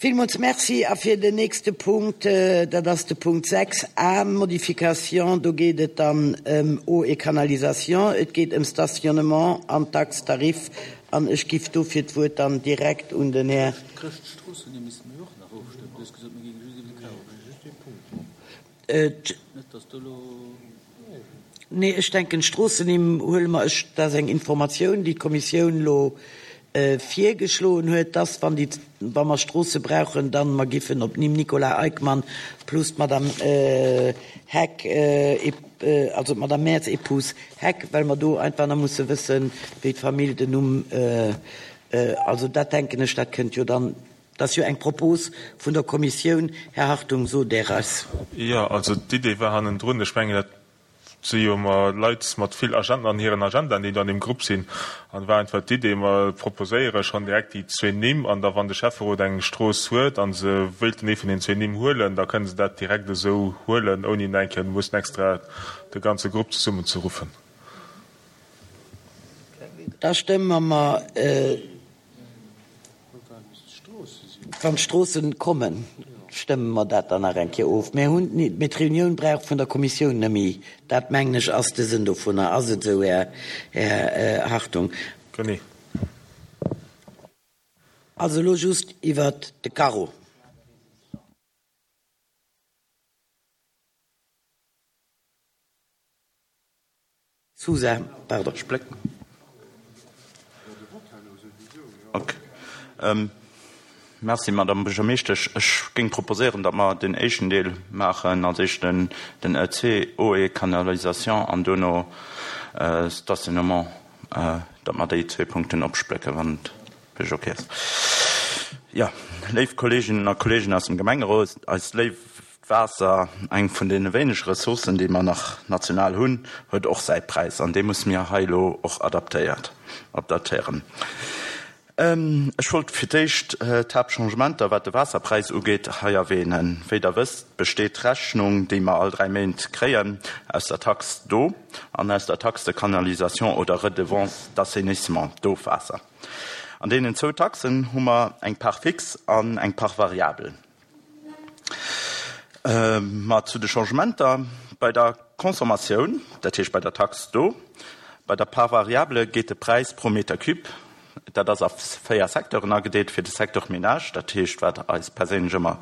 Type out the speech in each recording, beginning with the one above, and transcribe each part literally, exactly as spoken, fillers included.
Villmools Merci. A fir den nächste Punkt, dat ass de Punkt sechs a, Modification, do geet et dann ëm Eau et Canalisation, et geet ëm Stationnement an Taxe, Tarif. An ech giff dofir d'Wuert dann direkt un den Här. Nee, ech denken, d'Stroossennimm huele mer. Ech, dat ass eng Informatioun, déi d'Kommissioun elo virgeschloen huet, dass, wann déi, wa mer Stroosse brauchen, dann mer giffen op d'Nimm Nicolas Eickmann plus d'Madame Heck, also d'Madame Maires Épouse Heck, well mer do einfach nach musse wëssen, wéi d'Famill den Numm, also dat denken ech, dat kënnt jo dann, dat ass jo eng Propos vun der Kommissioun. Här Hartung, sot Der eis. Jo, also d'Idee war hannendrun, ech mengen, dat si jo ëmmer Leit mat vill Agenden an hiren Agendaen, déi do an deem Grupp sinn. An et war einfach d'Idee, mer proposéiere schonn direkt déi zwee Nimm an da wann de Schäfferot eng Strooss huet a se wéilten ee vun den zwee Nimm huelen, da kënne se dat direkt esou huelen, ouni nach eng Kéier mussen extra de ganze Grupp zesummenzeruffen. Da stëmme mer. Wann d'Stroossen kommen, stëmme mer dat dann nach eng Kéier of. Mir hunn, mee d'Reunioun brauch vun der Kommissioun net méi. Dat, mengen ech, ass de Sënn dovunner. Ass et esou, Här, Här Hartung? Genee. Also elo just iwwert de Carreau. Sousa, pardon. Splécken. Ok. Merci, Madame Buergermeeschtesch. Ech géing proposéieren, datt mer den éischten Deel maachen, als éischt den E C, Eau et Canalisation, an duerno Stationnement, datt mer déi zwee Punkten opsplécken, wann et fir lech ok ass. Jo, léif Kolleeginnen a Kolleegen aus dem Gemengerot, eist léift Waasser, eng vun deene wéinege Ressourcen, déi mer nach national hunn, huet och säi Präis, an dee musse mir hei elo och adaptéiert, adaptéieren. Ech wollt fir d'éischt d'Haaptchangementer, wat de Waasserpräis ugeet, hei erwähnen. Wéi Der wësst, besteet d'Rechnung, déi mer all dräi Méint kréien, aus der Taxe d'eau an aus der Taxe de canalisation oder Redevance d'assainissement, d'Ofwaasser. An deenen zwou Taxen hu mer eng Part fixe an eng Part variable. Ma zu de Changementer bei der Consommatioun, dat heescht bei der Taxe d'eau, bei der Part variable geet de Präis pro Meter cube, dat ass a véier Secteuren agedeelt, fir de Secteur Ménage, dat heescht wat eis perséinlech ëmmer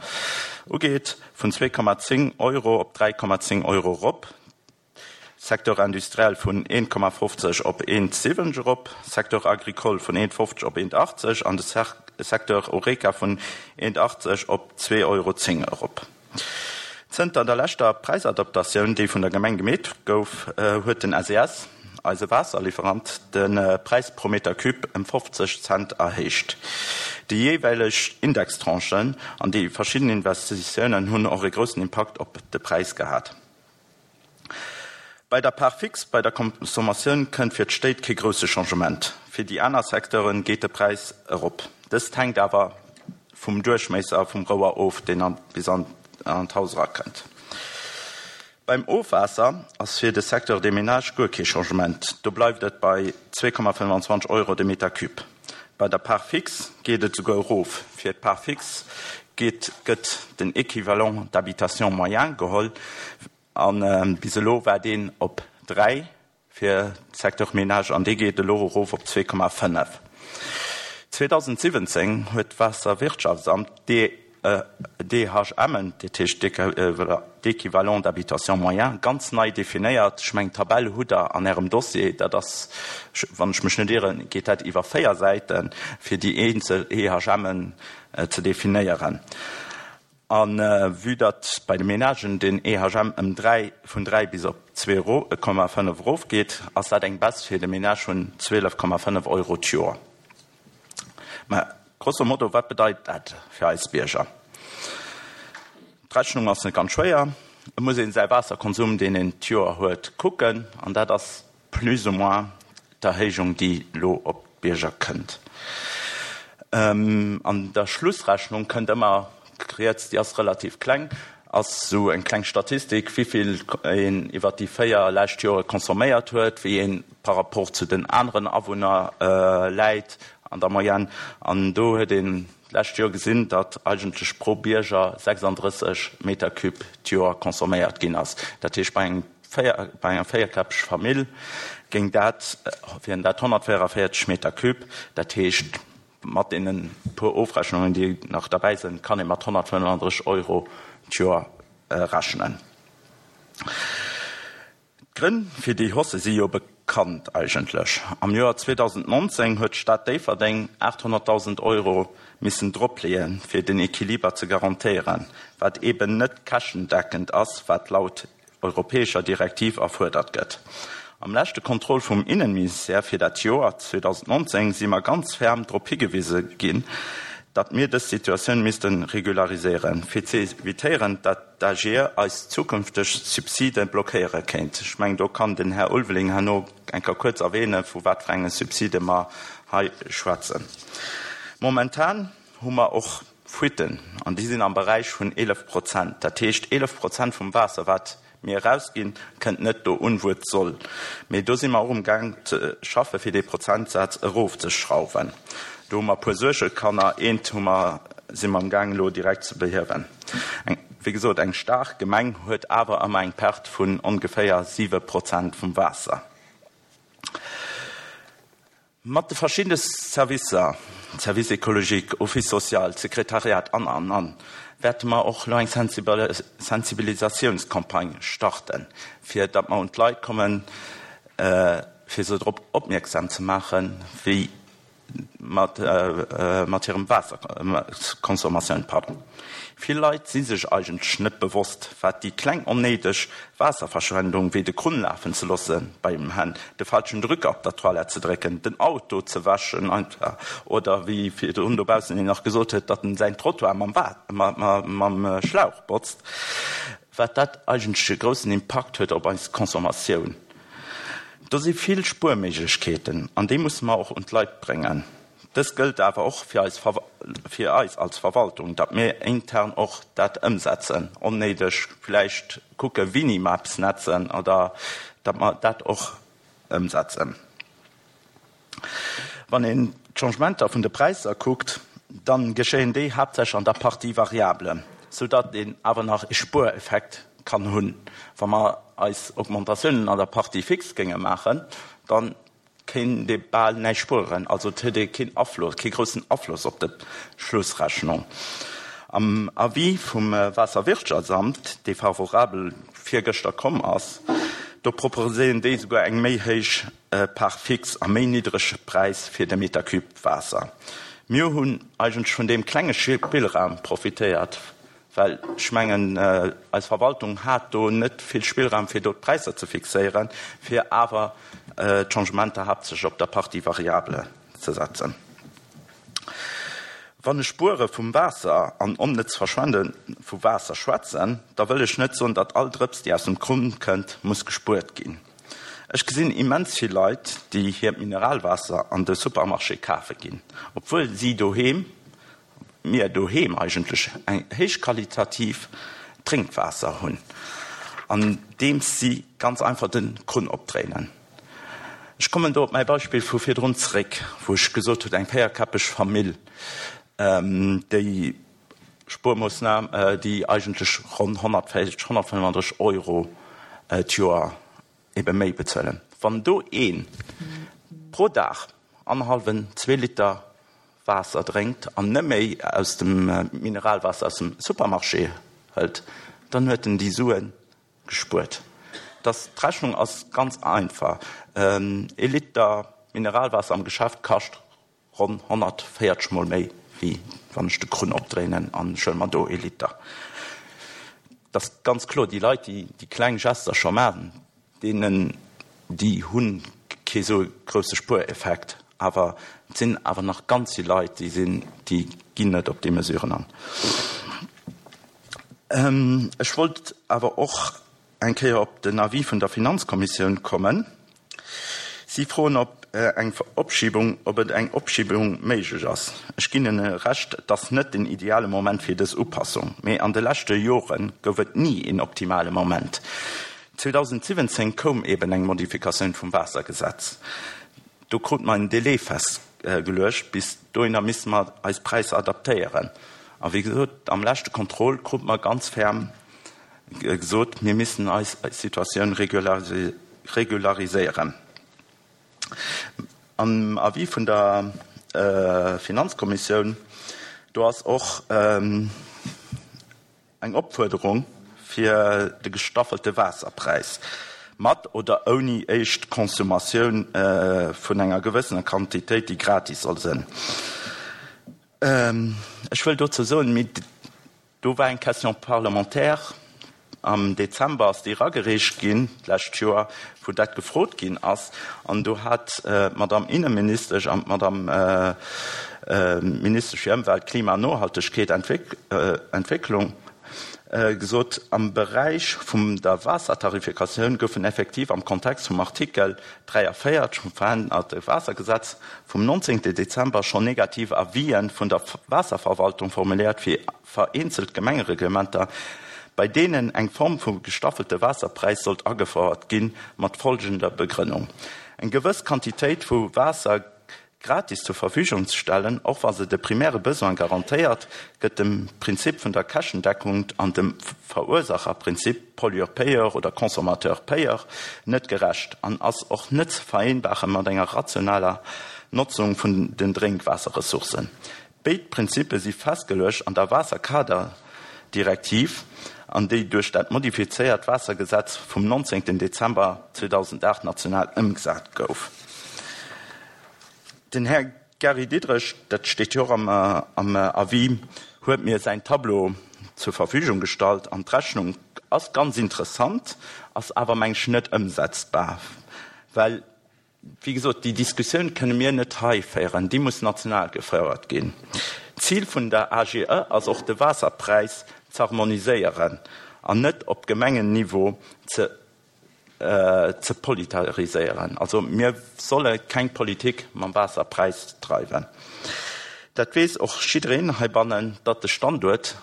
ugeet, vun zwee Komma zéng Euro op dräi Komma zéng Euro erop, Secteur industriel vun een Komma fofzeg op een siwwenzeg erop, Secteur agricole vun een fofzeg op een achtzeg an de Secteur Horeca vun een achtzeg op zwee Euro zéng erop. Zënter der leschter Präisadaptatioun, déi vun der Gemeng gemeet gouf, huet den S E S, eise Waasserliwwerant, de Präis pro Meter cube ëm fofzeg Cent erhéicht. Déi jeeweileg Indextranchen an déi verschidden Investitiounen hunn och e groussen Impakt op de Präis gehat. Bei der Part fixe bei der Consommatioun kënnt fir d'Stéit kee grousse Changement. Fir déi aner Secteure geet de Präis erop. Dëst hänkt awer vum Duerchméisser vum Rouer of, deen bis an d'Haus erakënnt. Beim Ofwaasser ass fir de Secteur des ménages guer kee Changement. Do bleift et bei zwee Komma fënnwanzwanzeg Euro de Meter cube. Bei der Part fixe geet et souguer erof. Fir d'Part fixe geet gëtt den Équivalent d'habitation moyen geholl. A bis elo war deen op dräi fir Secteur Ménage an dee geet elo erof op zwee Komma fënnef. zweedausendsiwwenzéng huet d'Waasserwirtschaftsamt d'E H M'en, dat heescht d'Équivalent d'habitation moyen, ganz nei definéiert. Ech mengen, d'Tabell hutt Der an Ärem Dossier. Dat ass, wann ech mech net ieren, geet dat iwwer véier Säiten, fir déi eenzel E H M'en ze definéieren. A vue datt bei de Ménagen den E H M ëm dräi, vun dräi bis op zwee Komma fënnef erofgeet, ass dat eng Baisse fir de Ménage vun zwielef Komma fënnef Euro d'Joer. Mä grosso modo, wat bedeit dat fir eis Bierger? D'Rechnung ass net ganz schwéier. Et muss ee säi Waasserkonsum, deen een d'Joer huet, kucken, an dat ass plus ou moins d'Erhéijung, déi elo op d'Bierger kënnt. An der Schlussrechnung kënnt ëmmer riets, déi ass relativ kleng, ass esou eng kleng Statistik, wéi vill een iwwert déi véier lescht Jore consomméiert huet, wéi een par rapport zu den aneren Awunner läit an der Moyenne. An do huet een d'lescht Joer gesinn, datt eigentlech pro Bierger sechsandrësseg Meter cube d'Joer consomméiert ginn ass. Dat heescht, bei engem véier, bei enger véierkäppeg Famill géing dat, wieren dat honnertvéierundavéierzeg Meter cube. Dat heescht, mat deene puer Ofrechnungen, déi nach derbäi sinn, kann ee mat honnertfënnefandrësseg Euro d'Joer rechnen. D'Grënn fir déi Hausse si jo bekannt eigentlech. Am Joer zweedausendnonzéng huet d'Stad Déifferdeng aathonnertdausend Euro missen dropleeën, fir den Equiliber ze garantéieren, wat eeben net käschtendeckend ass, wat laut europäescher Direktiv erfuerdert gëtt. Am leschte Contrôle vum Innenministère fir dat Joer zweedausendnonzéng si mer ganz ferm drop higewise ginn, datt mir dës Situatioun misste regulariséieren, fir ze evitéieren, datt d'AGE eis zukünfteg Subside blockéiere kéint. Ech mengen, do kann den Här Ulveling herno eng Kéier kuerz erwähnen, vu wat fir enge Subside mer hei schwätzen. Momentan hu mer och Fuiten, an déi sinn am Beräich vun eelef Prozent. Dat heescht, eelef Prozent vum Waasser, wat mir erausginn, kënnt net do un, wou et soll. Mee do si mer och umgaang ze schaffe fir dee Prozentsaz erofzeschrauwen. Do hu mer e puer Suergekanner. Eent hu mer, si mer amgaang elo direkt ze behiewen. Eng, wéi gesot, eng staark Gemeng huet awer ëmmer eng Perte vun ongeféier siwe Prozent vum Waasser. Mat de verschiddene Servicer, Service écologique, Office social, Sekretariat an, an, an, wäerte mer och elo eng Sensibilisatiounscampagne starten, fir datt mer un d'Leit kommen, fir se drop opmierksam ze maachen, wéi mat mat hirem Waasserconsommatioun, pardon. Vill Leit si sech eigentlech net bewosst, wat déi kleng onnéideg Waasserverschwendung, wéi de Krunn lafen ze loosse beim Hänn, de falschen Drücker op der Toilette ze drécken, den Auto ze wäschen einfach, oder wéi virdrun dobaussen een nach gesot huet, datt en säin Trottoir mam mam Schlauch botzt, wat dat eigentlech e groussen Impakt huet op eis Consommatioun. Do si vill Spuerméiglechkeeten an déi musse mer och un d'Leit bréngen. Dëst gëllt awer och fir eis, fir eis als Verwaltung, datt mir intern och dat ëmsetzen, onnéideg vläicht kucke wéini mer eppes netzen oder datt mer dat och ëmsetzen. Wann een d'Changementer vun de Präisser kuckt, da geschéien déi haaptsächlech an der Partie variable, soudatt een awer nach e Spuereffekt kann hunn. Wa mer eis Augmentatiounen an der Partie fixe géinge maachen, da kéint ee bal näischt spueren. Also et huet ee keen Afloss, kee groussen Afloss op d'Schlussrechnung. Am Avis vum Waasserwirtschaftsamt, dee favorabel virgëschter komm ass, do proposéieren déi souguer eng méi héich Part fixe a méi niddrege Präis fir de Meter cube Waasser. Mir hunn eigentlech vun deem klenge Spillraum profitéiert, well ech mengen, eis Verwaltung hat do net vill Spillraum, fir do d'Präisser ze fixéieren, fir awer d'Changementer haaptsächlech op der Partie variable ze setzen. Wann ech Spuere vum Waasser an onnëtz Verschwende vu Waasser schwätzen, da wëll ech net soen, datt all Drëps, déi aus dem Krunn kënnt, muss gespuert ginn. Ech gesinn immens vill Leit, déi hiert Mineralwaasser an de Supermarché kafe ginn, obwuel si doheem, mir doheem eigentlech eng héichqualitativ Drénkwaasser hunn, andeems si ganz einfach de Krunn opdréinen. Ech kommen do op mäi Beispill vu virdrun zeréck, wou ech gesot hunn, eng véierkäppeg Famill, déi Spuermoossnam, déi eigentlech ronn honnertvéierzeg, honnertfënnefandrësseg Euro d'Joer ebe méi bezuelen. Wann do ee pro Dag annerhallwen, zwee Liter Waasser drénkt an net méi aus dem Mineralwaasser aus dem Supermarché hëlt, dann huet en déi Sue gespuert. Dass d'Rechnung ass ganz einfach, Ee Liter Mineralwaasser am Geschäft kascht ronn honnertvéierzeg mol méi, wéi wann ech de Krunn opdréinen an ech huele mer do ee Liter. Et ass ganz kloer, déi Leit, déi déi kleng Gester scho maachen, deenen, déi hu kee sou grousse Spuereffekt. Awer et sinn awer nach ganz vill Leit, déi sinn, déi ginn net op déi Mesuren an. Ech wollt awer och eng Kéier op den Avis vun der Finanzkommissioun kommen. Si froen, ob eng Opschiebung, ob et eng Opschiebung méiglech ass. Ech ginn hinne Recht, et ass net den ideale Moment fir dës Upassung, mee an de leschte Jore gouf et ni een optimale Moment. zweedausensiwwenzéng koum eben eng Modifikatioun vum Waassergesetz. Do krut mer en Délai fest, festgeluecht. Bis dohinner misste mer eis Präisser adaptéieren. A wéi gesot, am leschte Contrôle krute mer ganz ferm gesot, mir missten eis Situatioun regulariséieren. Am Avis vun der Finanzkommissioun, do ass och eng Opfuerderung fir de gestaffelte Waasserpräis, mat oder ouni éischt Consommatioun vun enger gewëssener Quantitéit, déi gratis soll sinn. Ech wëll dozou soen, mee do war eng Question parlementaire, am Dezember ass déi eragereecht ginn d'lescht Joer, wou dat gefrot ginn ass, an do hat d'Madame Inneministesch an d'Madame Ministesch fir Ëmwelt, Klima an Nohaltegkeet, Entwécklung gesot, am Beräich vum der Waassertarifikatioun goufen effektiv am Kontext vum Artikel dräiavéierzeg vum verännerte Waassergesetz vum nonzéngte Dezember schonn negativ Avisen vun der Waasserverwaltung formuléiert fir vereenzelt Gemengereglementer, bei deenen eng Form vu gestaffelte Waasserpräis sollt agefouert ginn, mat folgender Begrënnung, Eng gewëss Quantitéit vu Waasser gratis zur Verfügung ze stellen, och wa se de primäre Besoin garantéiert, gëtt dem Prinzip vun der Käschtendeckung an dem Verursacherprinzip, Pollueur-payeur oder Consommateur-payeur, net gerecht an ass och net ze vereenbare mat enger rationaler Notzung vun den Drénkwaasserressourcen. Béid Prinzippe si festgeluecht an der Waasserkaderdirektiv an déi duerch dat modifizéiert Waassergesetz vum nonzéngten Dezember zweedausendacht national ëmgesat gouf. Den Här Gary Diderich, dat steet jo och am Avis, huet mir säin Tableau zur Verfügung gestallt an d'Rechnung ass ganz interessant, ass awer, meng ech, net ëmsetzbar, well, wéi gesot, déi Diskussioun kënne mir net hei féieren, déi muss national gefouert ginn. D'Zil vun der A G E ass och, de Waasserpräis z'harmoniséieren an net op Gemengenniveau ze ze politariséieren. Also mir solle keng Politik mam Waasserpräis dreiwen. Dat weess och jiddereen heibannen, datt de Standuert,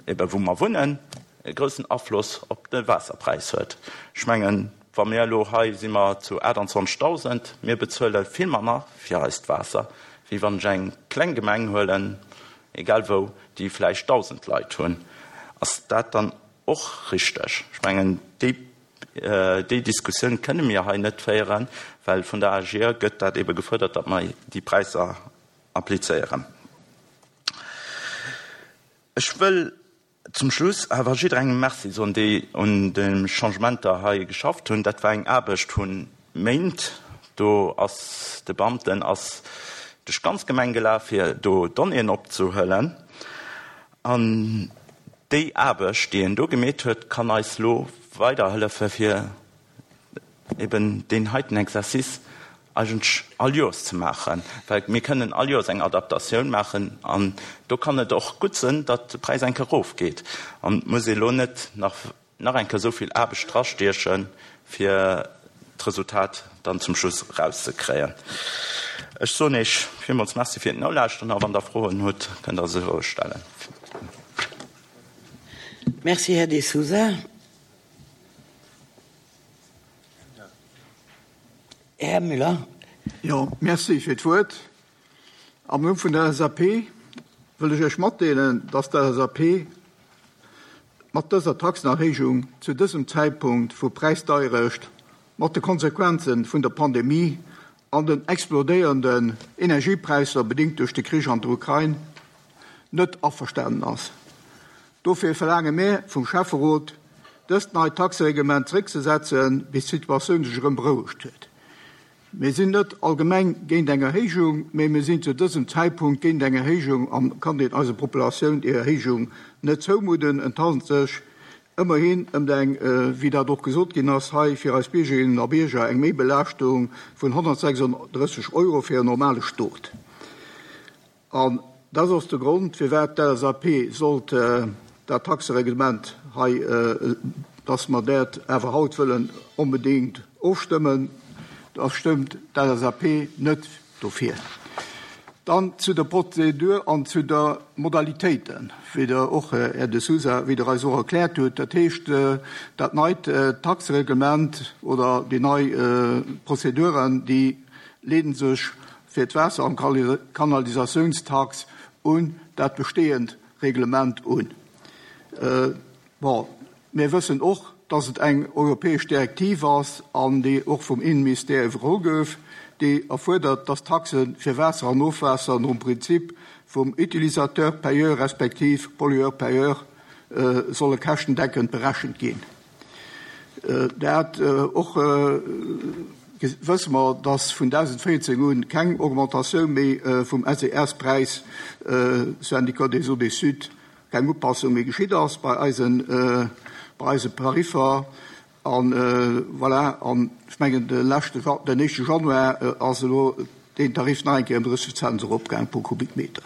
ebe wou mer wunnen, e groussen Afloss op de Waasserpräis huet. Ech mengen, wa mir elo hei si mer zu aachtanzwanzegdausend, mir bezuele vill manner fir eist Waasser, wéi wann ech eng kleng Gemeng huelen, egal wou, déi vläicht dausend Leit hunn. Ass dat dann och richteg? Ech mengen, déi déi Diskussioun kënne mir hei net féieren, well vun der A G E gëtt dat ebe gefuerdert, datt mer déi Präisser applizéieren. Ech wëll zum Schluss awer jidderengem Merci soen, déi un de Changementer hei geschafft hunn. Dat war eng Aarbecht vu Méint. Do ass de Beamten ass duerch d'ganz Gemeng gelaf, fir do Donnéeën opzehuelen. An déi Aarbecht, déi en do gemeet huet, kann eis lo weiderhëllefe fir eben deen heiten Exercice eigentlech all Joers ze maachen, well mir kënnen all Joers eng Adaptatioun maachen an do kann et och gutt sinn, datt de Präis eng Kéier erofgeet an et muss ee lo net nach nach eng Kéier esou vill Aarbecht drastiechen, fir d'Resultat dann zum Schluss erauszekréien. Ech soen Iech villmools Merci fir d'Nolauschteren a wann Der Froen hutt, kënnt Der se roueg stellen. Merci, Här De Sousa. Här Müller. Jo, merci fir d'Wuert. Am Numm vun der L S A P wëll ech Iech matdeelen, dass d'L S A P mat dëser Taxenerhéijung zu dësem Zäitpunkt vu Präisdeierecht mat de Konsequenze vun der Pandemie an den explodéierenden Energiepräisser bedingt duerch de Krich an der Ukrain net averstanen ass. Dofir verlaange mir vum Schäfferot, dëst neit Taxereglement zeréckzesetzen, bis d'Situatioun sech erëm berouegt huet. Mir sinn net allgemeng géint eng Erhéijung, mee mir sinn zu dësem Zäitpunkt géint eng Erhéijung an kann een eiser Populatioun déi Erhéijung net zoumudden. Et handelt sech ëmmerhin ëm eng, wéi dat och gesot ginn ass hei, fir eis Biergerinnen a Bierger eng Méibelaaschtung vun honnertsechsandrësseg Euro fir en normale Stot. An dat ass de Grond, firwat d'L S A P sollt dat Taxereglement hei, dass mer dat awer haut wëllen onbedéngt ofstëmmen, da stëmmt d'L S A P net dofir. Dann zu der Prozedur an zu der Modalitéiten, wéi Der och, Här De Sousa, wéi Der eis och erkläert hutt. Dat heescht, dat neit Taxereglement oder déi nei Prozeduren, déi leede sech fir d'Waasser- an Kanalisationstax un dat bestehend Reglement un. Äh, bon, mir wëssen och, dass et eng europäesch Direktiv ass, an déi och vum Innenministère iwwerholl gouf, déi erfuerdert, dass Taxe fir Waasser an Ofwaasser nom Prinzip vum Utilisateur payeur respektiv Pollueur-payeur äh, solle käschtendeckend berechent ginn. Äh, dat äh, och äh, wësse mer, dass vun zweedausendvéierzéng un keng Augmentatioun méi äh, vum S E S-Präis äh, Syndicat des Eaux des Sud, keng Upassung méi geschitt ass bei eisen, äh, bei eise Tariffer an äh, voilà, an ech mengen de leschte den éischte Januar äh, ass elo den Tarif nach eng Kéier ëm drësseg Cent eropgaang pro Kubikmeter.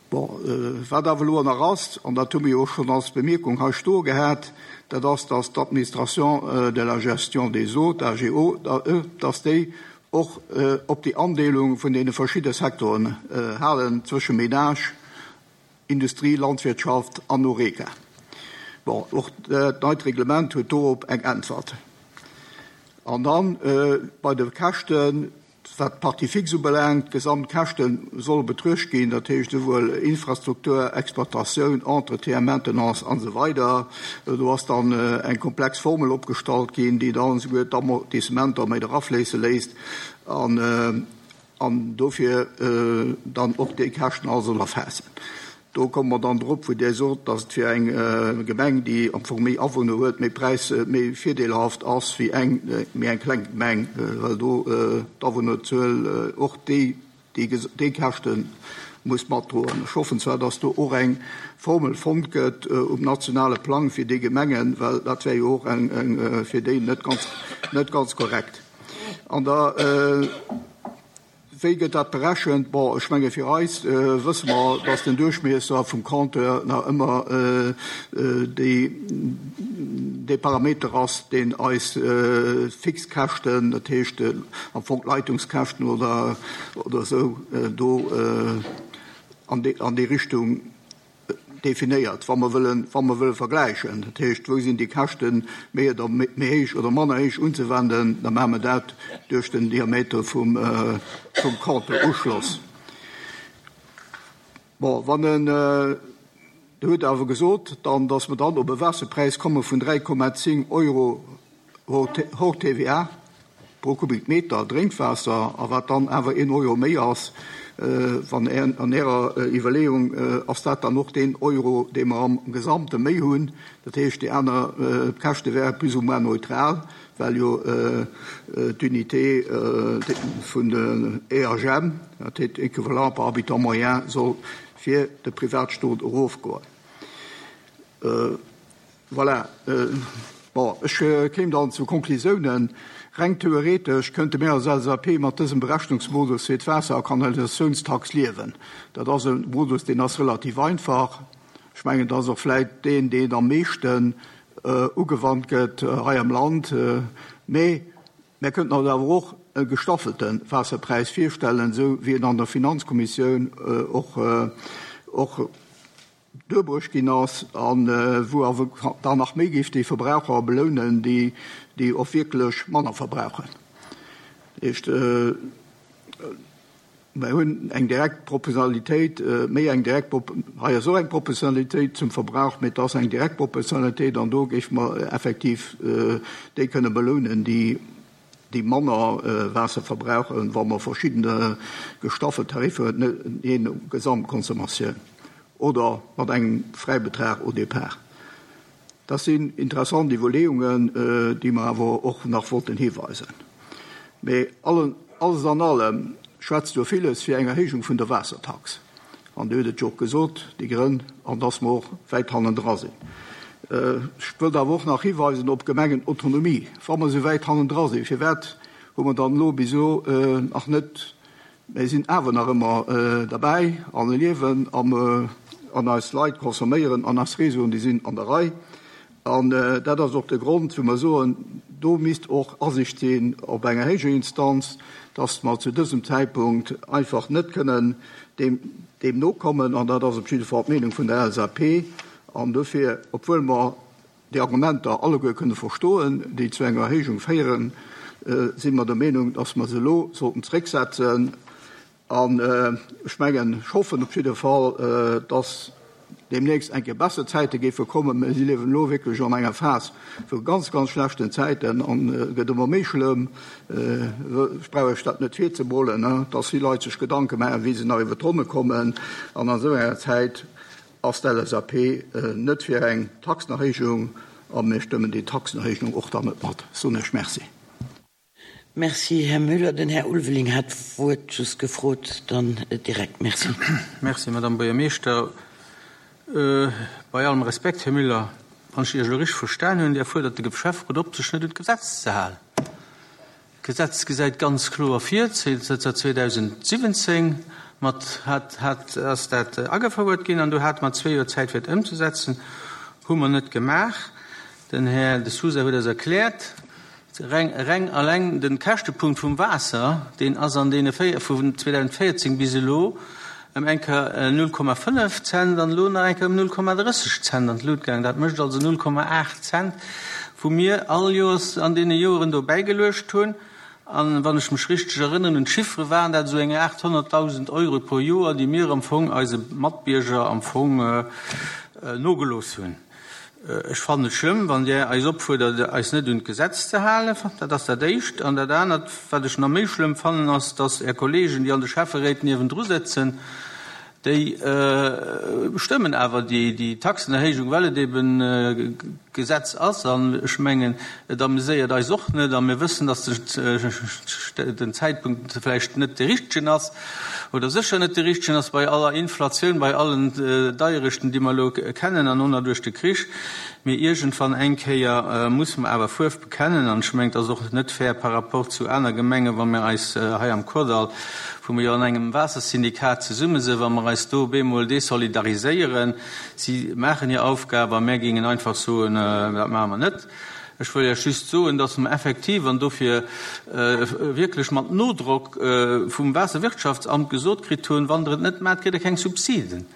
Bon, äh, wat awer elo nach ass, an dat hu mir och schonn als Bemierkung hei stoe gehat, dat ass, dass d'Administration äh, de la gestion des eaux, d'A G O, äh, dass déi och äh, op déi Andeelung vun deene verschiddene Secteuren äh, halen zwësche Ménage, Industrie, Landwirtschaft an Horeca. Bon, och dat neit Reglement huet dorop eng Äntwert. An dann äh, bei de Käschten, wat d'Partie fixe ubelaangt, d'Gesamtkäschte solle betruecht ginn, dat heescht souwuel Infrastruktur, Exploitatioun, Entretien, Maintenance an esou weider. Do ass dann äh, eng komplex Formel opgestallt ginn, déi dann souguer d'Amortissementer méi erafléisse léisst an, äh, an dofir äh, dann och déi Käschten all soll erfaassen. Do komme mer dann drop, wou Dir sot, dass et fir eng äh, Gemeng, déi am Fong méi Awunner huet, méi Präis äh, méi virdeelhaft ass wéi eng äh, méi eng kleng Gemeng, äh, well do äh, d'Awunnerzuel äh, och déi déi, déi Käschte muss matdroen. Ech hoffen zwar, dass do och eng Formel fonnt gëtt äh, um nationale Plang fir déi Gemengen, well dat wär jo och eng, eng, äh, fir déi net ganz, net ganz korrekt. An da äh, wéi gëtt dat berechent? Bon, ech menge fir eis äh, wësse mer, dass den Duerchmiesser vum Compteur nach ëmmer äh, äh, déi, dee Parameter ass, deen eis äh, Fixkäschten, dat heescht äh, am Fong Leitungskäschten oder, oder sou, äh, do äh, an déi, an déi Richtung definéiert, wa mer wëllen, wa mer wëlle vergläichen. Dat heescht, wou sinn déi Käschten méi oder méi héich oder manner héich unzewenden, da maache mer dat duerch den Diameter vum, äh, vum Compteur-Uschloss. Bon, wann en äh, huet awer gesot, dann, dass mer dann op e Waasserpräis komme vun dräi Komma zéng Euro hors T V A pro Kubikmeter Drénkwaasser, a wat dann awer een Euro méi ass, äh, wann er, an Ärer äh, Iwwerleeung äh, ass dat dann och den Euro, dee mer am Gesamte méi hunn. Dat heescht, déi aner äh, Käschte wäre plus ou moins neutral, well jo äh, d'Unité äh, vun den E H M, dat heescht Équivalent par habitant moyen, soll fir de Privatstot erofgoen. Äh, voilà. Äh, bon, ech äh, kéim dann zu Konklusiounen. Reng theoretesch kënnte mir als L S A P mat dësem Berechnungsmodus fir d'Waasser- a Kanalisationstax liewen. Dat ass e Modus, deen ass relativ einfach. Ech mengen, dat ass och vläicht deen, deen am meeschten äh, ugewannt gëtt äh, hei am Land. Äh, mee mir kënnten eis awer och e gestaffelte Waasserpräis virstellen, sou wéi en an der Finanzkommissioun äh, och, äh, och duerbruecht ginn ass, an äh, wou awer dann nach méi géif déi Verbraucher belounen, déi, déi och wierklech manner verbrauchen. Heescht, äh, mir hunn eng direkt Proportionalitéit, äh, méi eng direkt hei sou eng Proportionalitéit zum Verbrauch, mee dat ass eng direkt Proportionalitéit, an do géife mer effektiv äh, déi kënne belounen, déi déi manner äh, Waasser verbrauchen, wa mer verschidden gestaffelt Tariffer jee no Gesamtconsommatioun oder mat engem Fräibetrag au départ. Dat sinn interessant Iwwerleeungen, äh, déi mer awer och nach wollten hiweisen. Mee allen, alles an allem schwätzt jo villes fir eng Erhéijung vun der Waassertax. An Dir hutt et jo och gesot, déi Grënn, an dass mer och wäit hannendra sinn. Äh, ech wëll awer och nach hiweisen op Gemengenautonomie. Wa mer sou wäit hannendra sinn, firwat hu mer dann elo bis elo äh, nach net, mir sinn awer nach ëmmer äh, derbäi an liewen am, äh, an eis Leit consomméieren an eis Réseauen, déi sinn an der Rei. An äh, dat ass och de Grond, wou mer soen, do misst och Asiicht sinn op enger héijer Instanz, dass mer zu dësem Zäitpunkt einfach net kënnen deem, deem nokommen, an dat ass op jidde Fall d'Meenung vun der L S A P. An dofir, obwuel mer déi Argumenter alleguer kënne verstoen, déi zu enger Erhéijung féieren, si mer der Meenung, dass mer se elo sollten zrécksetzen. An ech mengen, ech hoffen op jidde Fall, dass deemnächst eng Kéier besser Zäite géife kommen. Mä si liewen elo wierklech an enger Phas vu ganz, ganz schlechten Zäiten an et gëtt ëmmer méi schlëmm. Ech brauch Iech dat net virzemolen, dass vill Leit sech Gedanke maachen, wéi se nach iwwer d'Ronne kommen. An an esou enger Zäit ass d'LSAP net fir eng Taxenerhéijung a mir stëmmen déi Taxenerhéijung och dann net mat. Soen Iech Merci. Merci, Här Müller. Den Här Ulveling hat d'Wuert just gefrot. Dann direkt Merci. Merci, Madame Buergermeeschter. Bei allem Respekt, Här Müller, wann ech Iech elo richteg verstan hunn, Dir fuerdert de Schäfferot op, sech net un d'Gesetz ze halen. D'Gesetz gesäit ganz kloer vir, zënter zweedausendsiwwenzéng mat hat, hat, ass dat agefouert ginn an do hate mer zwee Joer Zäit fir et ëmzesetzen. Hu mer net gemaach. Den Här De Sousa huet eis erkläert, reng, reng alleng de Käschtepunkt vum Waasser, deen ass an deene véier, vun zweedausendvéierzéng bis elo ëm eng Kéier null Komma fënnef Cent an elo nach eng Kéier ëm null Komma drësseg Cent an d'Lut gaangen. Dat mécht also null Komma aacht Cent, wou mir all Joers an deene Joeren do bäigeluecht hunn. An wann ech mech richteg erënneren un d'Chiffere, waren dat esou eng aathonnertdausend Euro pro Joer, déi mir am Fong eise Matbierger am Fong nogelooss hunn. Ech fannen et schlëmm, wann Dir eis opfuerdert, eis net un d'Gesetz ze halen. Dat ass dat Éischt. An dat anert, wat ech nach méi schlëmm fannen, ass, dass Är Kollegen, déi an de Schäfferéit niewendru sëtzen, déi stëmmen awer déi Taxenerhéijung, well et eben Gesetz ass. An ech mengen, et ameséiert eis och net. A mir wëssen, dass den Zäitpunkt vläicht net de richtegen ass oder sécher net de richtegen ass bei aller Inflatioun, bei allen Deierechten, déi mer elo kennen an och nach duerch de Krich. Mee iergendwann eng Kéier musse mer awer Fuerf bekennen. An ech mengen, et ass och net fair par rapport zu aner Gemengen, wa mir eis hei am Kordall, wou mir jo an engem Waassersyndikat zesumme sinn, wa mer eis do op eemol desolidariséieren. Si maachen hir Aufgab a mär géingen einfach soen, dat maache mer net. Ech wëll Iech just soen, dass mer effektiv, an dofir wierklech mat Nodrock vum Waasserwirtschaftsamt gesot kritt hunn, wann Der et net maacht, kritt Der keng Subsiden.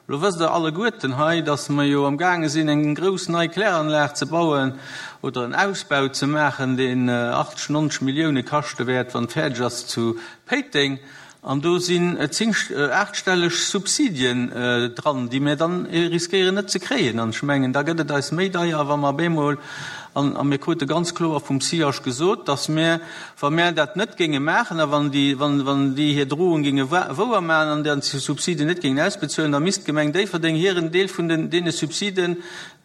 Elo wësst Der alleguerten hei, dass mer jo amgaange sinn, eng grouss nei Kläranlag ze bauen oder en Ausbau ze maachen, deen achtzeg, nonzeg Millioune kaschte wäert, wann et fäerdeg ass, zu Péiteng. An do sinn zéng, aachtstelleg Subsidien dran, déi mir dann riskéieren net ze kréien. An ech mengen, da gëtt et eis méi deier, wa mer op eemol, an a mir krute ganz kloer vum C I H gesot, dass mir, wa mir dat net géinge maachen a wann déi, wann, wann déi hir Drohung géinge wouer maachen an déi Subsidien net géingen ausbezuelen, da misst d'Gemeng Déifferdeng hiren Deel vun den, deene Subsiden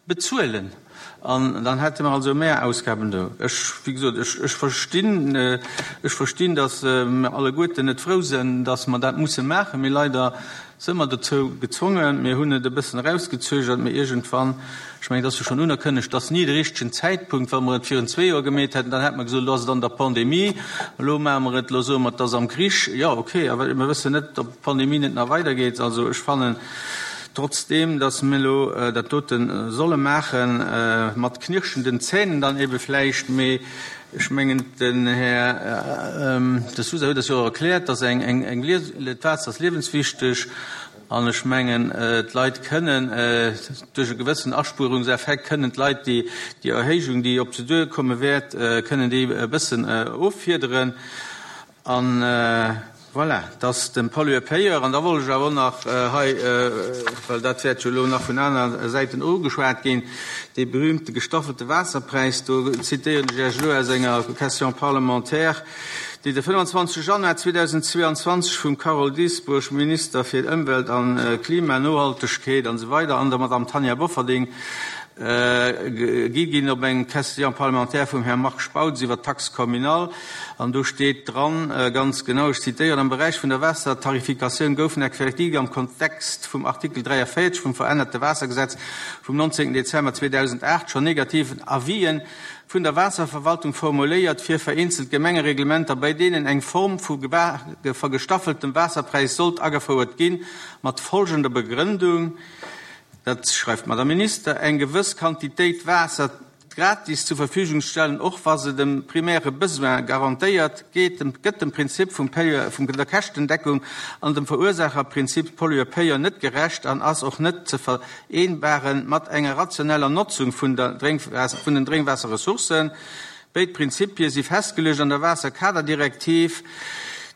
bezuelen. An dann hätte mer also mehr Ausgaben do. Ech, wéi gesot, ech, ech verstinn, ech verstinn, dass mer alleguerten net frou sinn, dass mer dat musse maachen, mee leider si mer dozou gezwongen. Mir hunn et e bëssen erausgezögert, mee iergendwann, ech mengen, et ass jo schonn unerkënnegt, dass ni de richtegen Zäitpunkt. Wa mer et virun zwee Joer gemeet hätten, dann hätte mer gesot, elo ass et an der Pandemie, elo maache mer et, elo soe mer, et ass am Krich. Jo, okay, awer mir wëssen net, ob d'Pandemie net nach weidergeet. Also ech fannen trotzdeem, dass mir elo dat dote solle maachen, mat knirschenden Zähnen dann ebe vläicht, mee ech mengen, den Här De Sousa huet es jo och erkläert, dass eng, eng, eng, d'Waasser ass liewenswichteg an ech mengen, d'Leit kënnen duerch e gewëssen Aspuerungseffekt, kënnen d'Leit déi, déi Erhéijung, déi op se duerkomme wäert, kënnen déi e bëssen offiederen. An voilà, dass dem Pollueur-payeur, an da wollt ech awer och nach hei, well dat wäert jo elo nach vun aner Säiten ugeschwat ginn, dee berühmte gestaffelte Waasserpräis, do zitéieren ech Iech elo aus enger Question parlementaire, déi de fënnfanzwanzeg Januar zweedausendzweeanzwanzeg vum Carole Dieschbourg, Minister fir Ëmwelt an Klima, Nohaltegkeet an esou weider, an der Madame Tanja Bofferding gi ginn op eng Question parlementaire vum Här Marc Spautz iwwer d'Taxe communale. An do steet dran ganz genau, ech zitéieren, Am Beräich vun der Waassertarifikatioun goufen effektiv am Kontext vum Artikel dräiavéierzeg vum verännerte Waassergesetz vum nonzéngten Dezember zweedausendacht schonn negativ Avisen vun der Waasserverwaltung formuléiert fir vereenzelt Gemengereglementer, bei deenen eng Form vu gestaffeltem Waasserpräis sollt agefouert ginn, mat folgender Begrëndung, dat schreift d'Madame Minister, eng gewëss Quantitéit Waasser gratis zur Verfügung stellen, och wa se dem primäre Besoin garantéiert, geet dem, gëtt dem Prinzip vum Payeur, vum der Käschtendeckung an dem Verursaacherprinzip Pollueur-Payeur net gerecht an ass och net ze vereenbaren mat enger rationeller Notzung vun der Drénkwaasser, vun den Drénkwaasserressourcen. Béid Prinzipie si festgeluecht an der Waasserkaderdirektiv,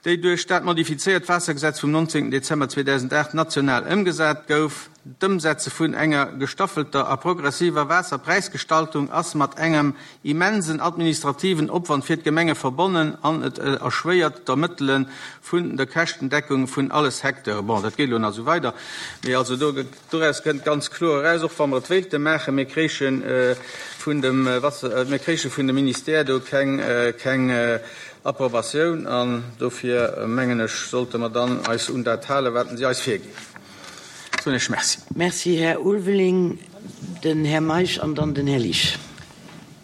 déi duerch dat modifizéiert Waassergesetz vum neunzehnten Dezember zweedausendacht national ëmgesat gouf. D'Ëmsetze vun enger gestaffelter a progressiver Waasserpräisgestaltung ass mat engem immensen administrativen Opwand fir d'Gemenge verbonnen an et erschwéiert d'Ermëttele vun der Käschtendeckung vun alle Secteuren. Bon, dat geet elo nach esou weider, mee also do, doraus kënnt ganz kloer eraus, och wa mer et wéilte maachen, mir kréiche vun dem Wasser, mir kréiche vun dem Ministère do keng, keng Approbatioun an dofir mengen ech, sollte mer dann eis un dat halen, wat si eis virginn. Soen ech Merci. Merci, Här Ulveling. Den Här Meisch an dann den Här Liesch.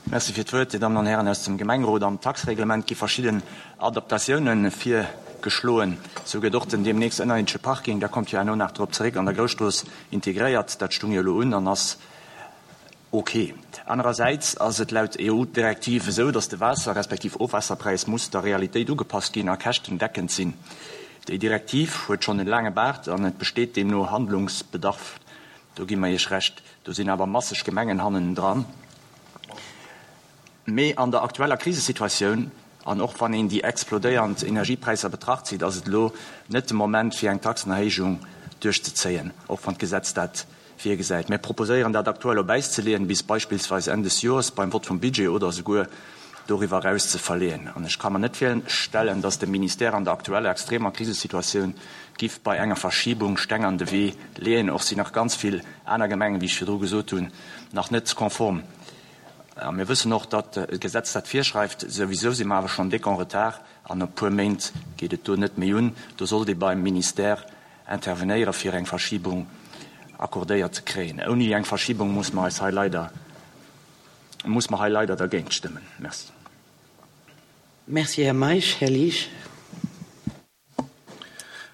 Merci fir d'Wuert, Dir Dammen an Hären aus dem Gemengerot. Am Taxreglement gi verschidden Adaptatiounen virgeschloen. Sou gëtt och den deemnächst ënnerierdesche Parking, da kommt jo herno nach drop zeréck, an der Grousstrooss integréiert. Dat stung jo elo un an ass ok. Anerersäits ass et laut E U-Direktiv esou, datt de Waasser respektiv Ofwaasserpräis muss der Realitéit ugepasst ginn a käschtendeckend sinn. Déi Direktiv huet schonn en laange Baart an et besteet deemno Handlungsbedarf. Do gi mer Iech Recht. Do sinn awer masseg Gemengen hannendran. Mee an der aktueller Krisesituatioun, an och wann een déi explodéiernd Energiepräisser betracht zitt, ass et elo net de Moment fir eng Taxenerhéijung duerchzezéien, och wann d'Gesetz dat virgesäit. Mir proposéieren dat aktuell op Äis ze leeën, bis beispillsweis Enn des Joers beim Vott vum Budget oder esouguer doriwwer eraus ze verleeën. An ech ka mer net virstellen, datt de Ministère an der aktueller extremer Krisesituatioun giff bei enger Verschibung Steng an de Wee leeën. Och sinn nach ganz vill aner Gemengen, wéi ech virdru gesot hunn, nach net konform. A mir wëssen och, datt d'Gesetz dat virschreift. Souwisou si mer awer schonn déck en retard an e puer Méint geet et do net méi un. Do sollt ee beim Ministère intervenéieren, fir eng Verschibung accordéiert ze kréien. Ouni eng Verschibung muss mer eis hei leider, muss mer hei leider dergéint stëmmen. Merci. Merci, Här Meisch. Här Liesch.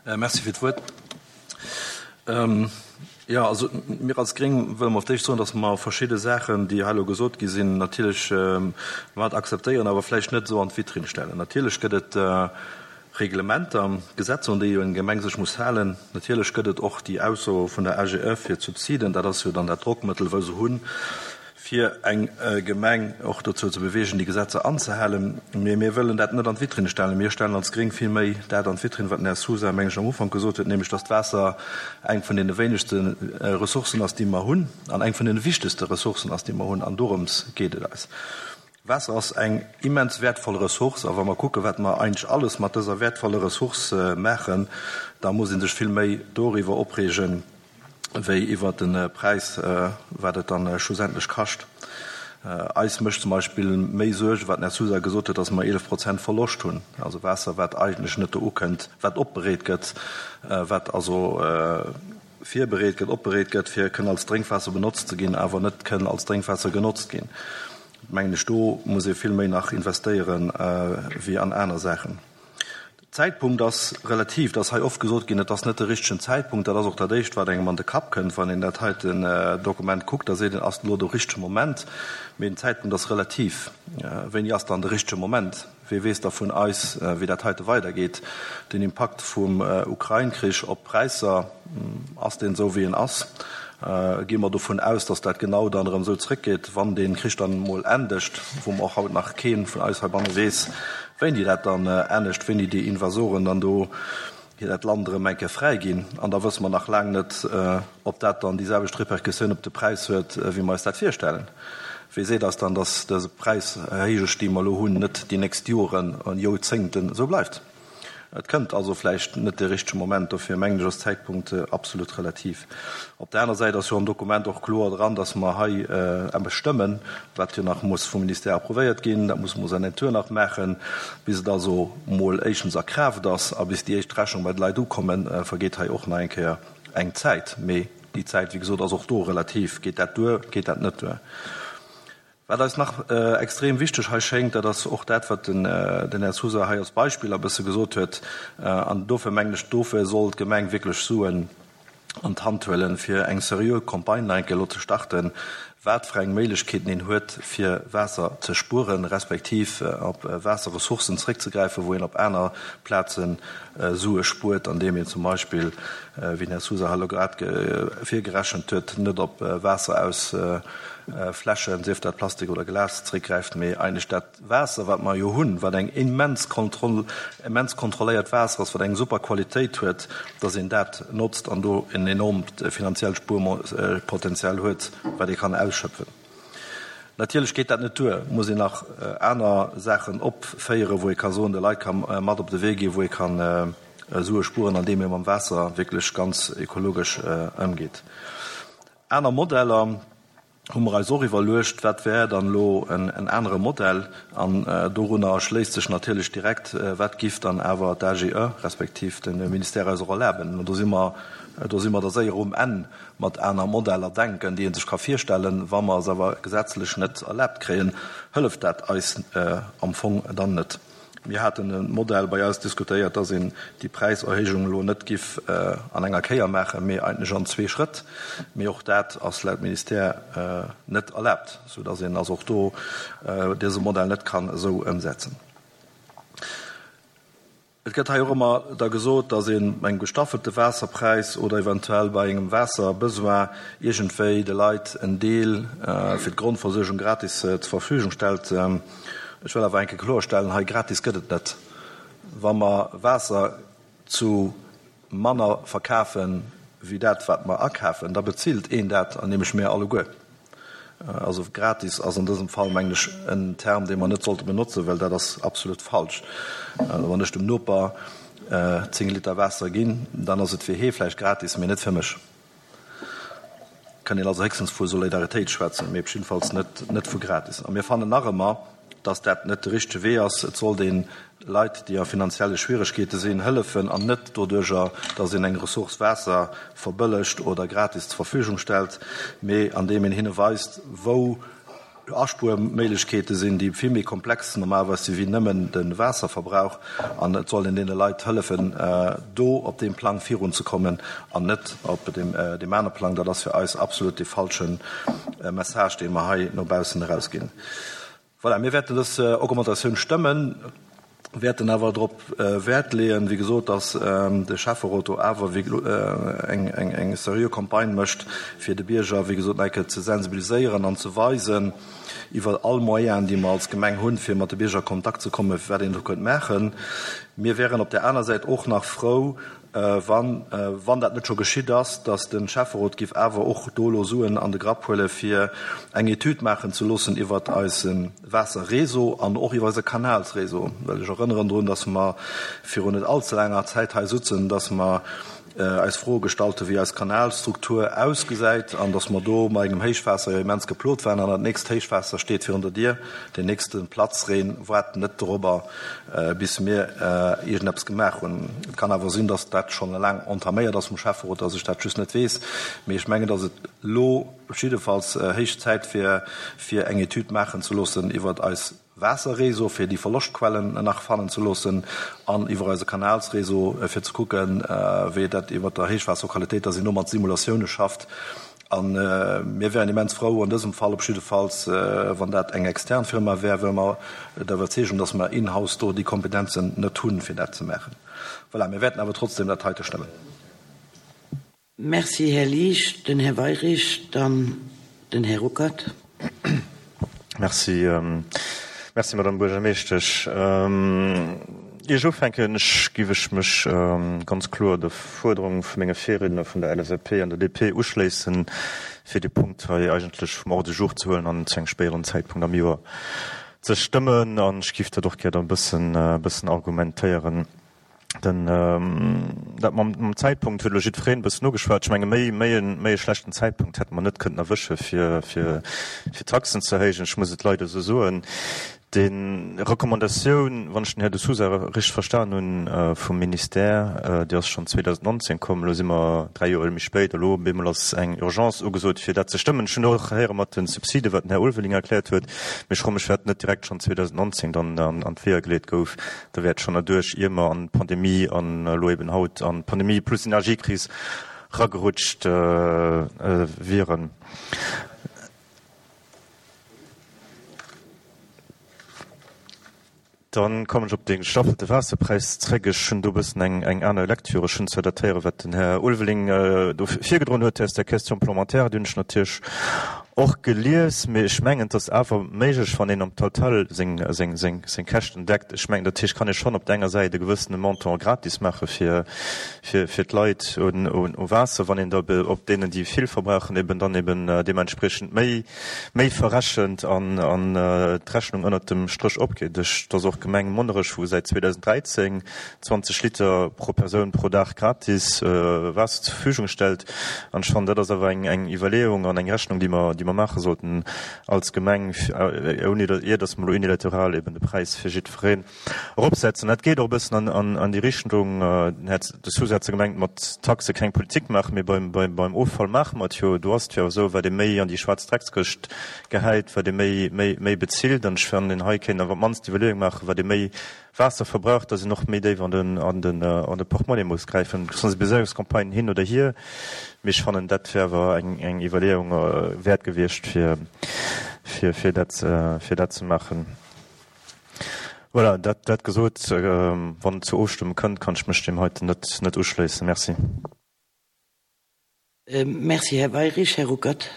Merci fir d'Wuert. Jo, also mir als Gréng wëlle mer op d'éischt soen, datt mer verschidde Saachen, déi hei elo gesot gi sinn, natierlech mat akzeptéieren, awer vläicht net esou an d'Vitrinn stellen. Natierlech gëtt et Reglementer, Gesetzer, un déi eng Gemeng sech muss halen. Natierlech gëtt et och déi Ausso vun der A G E fir d'Subsiden. Dat ass jo dann dat Drockmëttel, wou se hunn, fir eng Gemeng och dozou ze bewegen, déi Gesetzer anzehalen. Mee mir wëllen dat net an d'Vitrinn stellen. Mir stellen als Gréng vill méi dat an d'Vitrinn, wat den Här Sousa, meng ech, am Ufank gesot huet, nämlech datt d'Waasser eng vun deene wéinegste Ressourcen ass, déi mer hunn, an eng vun deene wichtegste Ressourcen ass, déi mer hunn. An dorëms geet et eis. Waasser ass eng immens wäertvoll Ressource, a wa mer kucken, wat mer eigentlech alles mat dëser wäertvoller Ressource maachen, da muss ee sech vill méi doriwwer opreegen, wéi iwwer de Präis, wat et dann schlussendlech kascht. Eis mécht zum Beispill méi Suergen, wat den Här Sousa gesot huet, dass mer eelef Prozent Verloscht hunn, also Waasser, wat eigentlech net do ukënnt, wat opbereet gëtt, wat also virbereet gëtt, opbereet gëtt, fir kënnen als Drénkwaasser benotzt ze ginn, awer net kënnen als Drénkwaasser genotzt ginn. Mengen ech, do muss ee vill méi nach investéieren wéi an aner Saachen. Zäitpunkt ass relativ, et ass hei oft gesot ginn, et ass net de richtegen Zäitpunkt. Dat ass och dat Éischt, wat engem an de Kapp kënnt, wann een dat heiten Dokument kuckt. Da seet een, ass elo de richtege Moment? Mee den Zäitpunkt ass relativ. Wéini ass dann de richtege Moment? Wee weess da vun eis, wéi dat heite weidergeet? Den Impakt vum Ukrain-Krich op d'Präisser, ass deen esou, wéi en ass? Gi mer dovun aus, datt dat genau dann erëm esou zréckgeet, wann dee Krich dann emol endegt, wou mer och haut nach kee vun eis heibanne weess, wéini dat dann endegt, wéini déi Invasoren dann do hir dat Land erëm eng Kéier fräiginn. An da wësse mer nach laang net, ob dat dann déi selwecht Repercussioun op de Präis huet, wéi mer eis dat virstellen. Wee seet eis dann, datt dëse Präishéijesch, déi mer elo hunn, net déi nächst Joren an Joerzéngten esou bleift? Et kënnt also vläicht net de richtege Moment, dofir mengen ech ass Zäitpunkt absolut relativ. Op der aner Säit ass jo am Dokument och kloer dran, datt mer hei eppes stëmmen, wat jo nach muss vum Ministère approuvéiert ginn, dat muss mer en Tour nach maachen, bis et also mol éischtens a Kraaft ass a bis déi éischt Rechnung bei de Leit ukommen, vergeet hei och nach eng Kéier eng Zäit. Mee déi Zäit, wéi gesot, ass och do relativ. Geet dat duer, geet dat net duer? Wat eis nach extrem wichteg hei schéngt, dat ass och dat, wat den Här Sousa hei als Beispill e bësse gesot huet. An dofir mengen ech, dofir soll d'Gemeng wierklech Suen an d'Hand huelen, fir eng seriö Campagne nach eng Kéier elo ze starten, wat fir eng Méiglechkeeten een huet, fir Waasser ze spueren, respektiv op Waasserressourcen zréckzegräifen, wou een op aner Plaze Sue spuert, andeem een zum Beispill, wéi den Här Sousa hei elo grad virgerechent huet, net op Waasser aus Fläschen, sief dat Plastik oder Glas, zréckgräift, mee eigentlech dat Waasser, wat mer jo hunn, wat eng immens kontroll, immens kontrolléiert Waasser ass, wat eng super Qualitéit huet, dass een dat notzt an do en enormt finanziellt Spuerpotenzial huet, wat ee kann ausschöpfen. Natierlech geet dat net duer, et muss een nach aner Saachen opféieren, wou ee ka soen, de Leit ka mat op de Wee ginn, wou ee ka Sue spueren, andeem ee mam Waasser wierklech ganz ekologesch ëmgeet. Aner Modeller hu mer eis och iwwerluecht, wat wär dann elo en anere Modell? An dorunner schléisst sech natierlech direkt, wat giff dann awer d'AGE respektiv de Ministère eis och erlaben? An do si mer, do si mer da séier um Enn mat aner Modeller denken, déi ee sech ka virstellen. Wa mer se awer gesetzlech net erlaabt kréien, hëlleft dat eis am Fong dann net. Mir haten e Modell bei eis diskutéiert, dass een déi Präiserhéijung elo net giff an enger Kéier maachen, mee eigentlech an zwee Schrëtt. Mee och dat ass laut Ministère net erlaabt, soudass een also och do dëse Modell net kann esou ëmsetzen. Et gëtt hei och ëmmer da gesot, dass ee bei engem gestaffelte Waasserpräis oder eventuell bei engem Waasserbesoin iergendwéi de Leit en Deel fir d'Grondversuergung gratis zur Verfügung stellt. Ech wëll awer eng Kéier kloerstellen, hei gratis gëtt et net. Wa mer Waasser zu manner verkafe wéi dat, wat mer akafen, da bezilt een dat, an nämlech mir alleguer. Also gratis ass an dësem Fall, mengen ech, en Term, dee mer net sollte benotzen, well dat ass absolut falsch. Wann ech dem Noper zéng Liter Waasser ginn, dann ass et fir hee vläicht gratis, mee net fir mech. Kann een also héchstens vu Solidaritéit schwätzen, mee op jiddefalls net, net vu gratis. A mir fannen nach ëmmer, dass dat net de richtege Wee ass. Et sollt ee Leit, déi a finanzielle Schwieregkeete sinn, hëllefen an net doduerjer, dass een eng Ressource Waasser verbëllegt oder gratis zur Verfügung stellt, mee andeem een hinne weist, wou Aspuerméiglechkeete sinn, déi vill méi komplex normalerweis si wéi nëmmen de Waasserverbrauch. An et soll een deene Leit hëllefen, do op deem Plang virunzekommen an net op deem anere Plang. Dat ass fir eis absolut dee falsche Message, dee mer hei no baussen erausginn. Voilà, mir wäerten dës Augmentatioun stëmmen, wäerten awer drop Wäert leeën, wéi gesot, dass de Schäfferot do awer eng, eng, eng seriö Campagne mécht, fir de Bierger, wéi gesot, nach eng Kéier ze sensibiliséieren an ze weisen, iwwer all Moyen, déi mer als Gemeng hunn, fir mat de Bierger a Kontakt ze kommen, wat een do kënnt maachen. Mir wäeren op där aner Säit och nach frou, wann, wann dat net scho geschitt ass, datt de Schäfferot géif awer och do elo Suen an de Grapp huele fir eng Etüd maachen ze loossen iwwert eise Waasserréseau an och iwwer eise Kanalsréseau. Well ech erënneren drun, datt mer virun net allze laanger Zäit hei sutzen, datt mer eis Froe gestallt hu wéi eis Kanalstruktur ausgesäit an datt mer do mat engem Héichwaasser jo immens geplot waren an dat nächst Héichwaasser steet virun der Dier, deen nächste Platzreen waart net dorobber bis mir iergendeppes gemaach hunn. Et kann awer sinn, datt dat schonn laang entaméiert ass vum Schäfferot, datt ech dat just net weess, mee ech mengen, datt et elo jiddefalls héich Zäit wier, fir eng Etüd maachen ze loossen iwwert eis Waasserréseau, fir déi Verloschtquellen nach fannen ze loossen, an iwwer eise Kanalsréseau, fir ze kucken, wéi dat iwwer der Héichwaasserqualitéit ass, een do mat Simulatioune schafft. A mir wären immens frou, an dësem Fall op jiddefalls, wann dat eng extern Firma wär, well mer der Iwwerzeegung, dass mer in-house do déi Kompetenzen net hunn, fir dat ze maachen. Voilà, mir wäerten awer trotzdem dat heite stëmmen. Merci, Här Liesch. Den Här Weyrich, dann den Här Ruckert. Merci, merci Madame Buergermeeschtesch. Ier ech ufänken, ech giff ech mech ganz kloer der Fuerderung vu menge Virriedner vun der L S A P an der D P uschléissen, fir dee Punkt hei eigentlech vum Ordre du jour ze huelen an zu engem spéideren Zäitpunkt am Joer ze stëmmen. An ech giff dat och gär dann e bëssen, e bëssen argumentéieren. Den, dat mam, mam Zäitpunkt huet elo jiddwereen e bëssen ugeschwat. Ech menge méi, méi en, méi e schlechten Zäitpunkt hätte mer net kënnten erwësche fir, fir, fir d'Taxen ze erhéijen. Ech muss et leider esou soen. Déi Recommandatioun, wann ech den Här de Sousa richteg verstan hunn, vum Ministère, déi ass schonn zweedausendnonzéng komm. Elo si mer dräi Joer méi spéit. Elo op eemol ass eng Urgence ugesot, fir dat ze stëmmen. Ech hunn och héiere mat de Subside, wat den Här Ulveling erkläert huet. Mee ech froe mech, firwat net direkt schonn zweedausendnonzéng dann an d'Weeër geleet gouf. Da wär et schonn erduerch, ier mer an d'Pandemie an elo eben haut an d'Pandemie plus Energiekris ragerutscht wieren. Dann kommen ech op de gestaffelte Waasserpräis zréck. Ech hunn do e bëssen eng, eng aner Lektüre. Ech hunn zwar dat héieren, wat den Här Ulveling do virgedroen huet aus der Question parlementaire, déi hunn ech natierlech och gelies, mee ech mengen, et ass awer méiglech, wann een am Total seng, seng, seng, seng Käschten deckt. Ech mengen, dat heescht, kann ee schonn op der enger Säit e gewëssene Montant gratis maache fir, fir, fir d'Leit un, un, u Waasser, wann een da op deenen, déi vill verbrauchen, eben dann eben deementspriechend méi, méi verrechent an, an d'Rechnung ënnert dem Stréch opgeet. Ech, et ass och d'Gemeng Monnerech, wou säit zweedausend dräizéng zwanzeg Liter pro Persoun pro Dag gratis Waasser zur Verfügung stellt. An ech fannen, dat ass awer eng, eng Iwwerleeung an eng Rechnung, déi mer, déi mer maache sollten als Gemeng, ouni datt, ier datt mer elo unilateral eben de Präis fir jiddwereen eropsetzen. Dat geet och e bëssen an, an, an déi Richtung, den Här de Sousa hat se gemengt, mat Taxe keng Politik maachen, mee beim, beim, beim Offall maache mer et jo. Do ass et jo esou, wat ee méi an déi schwaarz Dreckskëscht gehäit, wat ee méi, méi, méi bezilt. An ech fannen, hei kéint een awer op d'mannst d'Iwwerleeung maachen, wat ee méi Waasser verbraucht, dass een och méi déif an den, an den, an de Portemonnaie muss gräifen. Sensibiliséierungscampagnen hin oder hier, mee ech fannen, dat wär awer eng, eng Iwwerleeung wäert gewiescht, fir, fir, fir dat, fir dat ze maachen. Voilà, dat, dat gesot, wann et zur Ofstëmmung kënnt, kann ech mech deem heiten net, net uschléissen. Merci. Merci, Här Weyrich. Här Ruckert.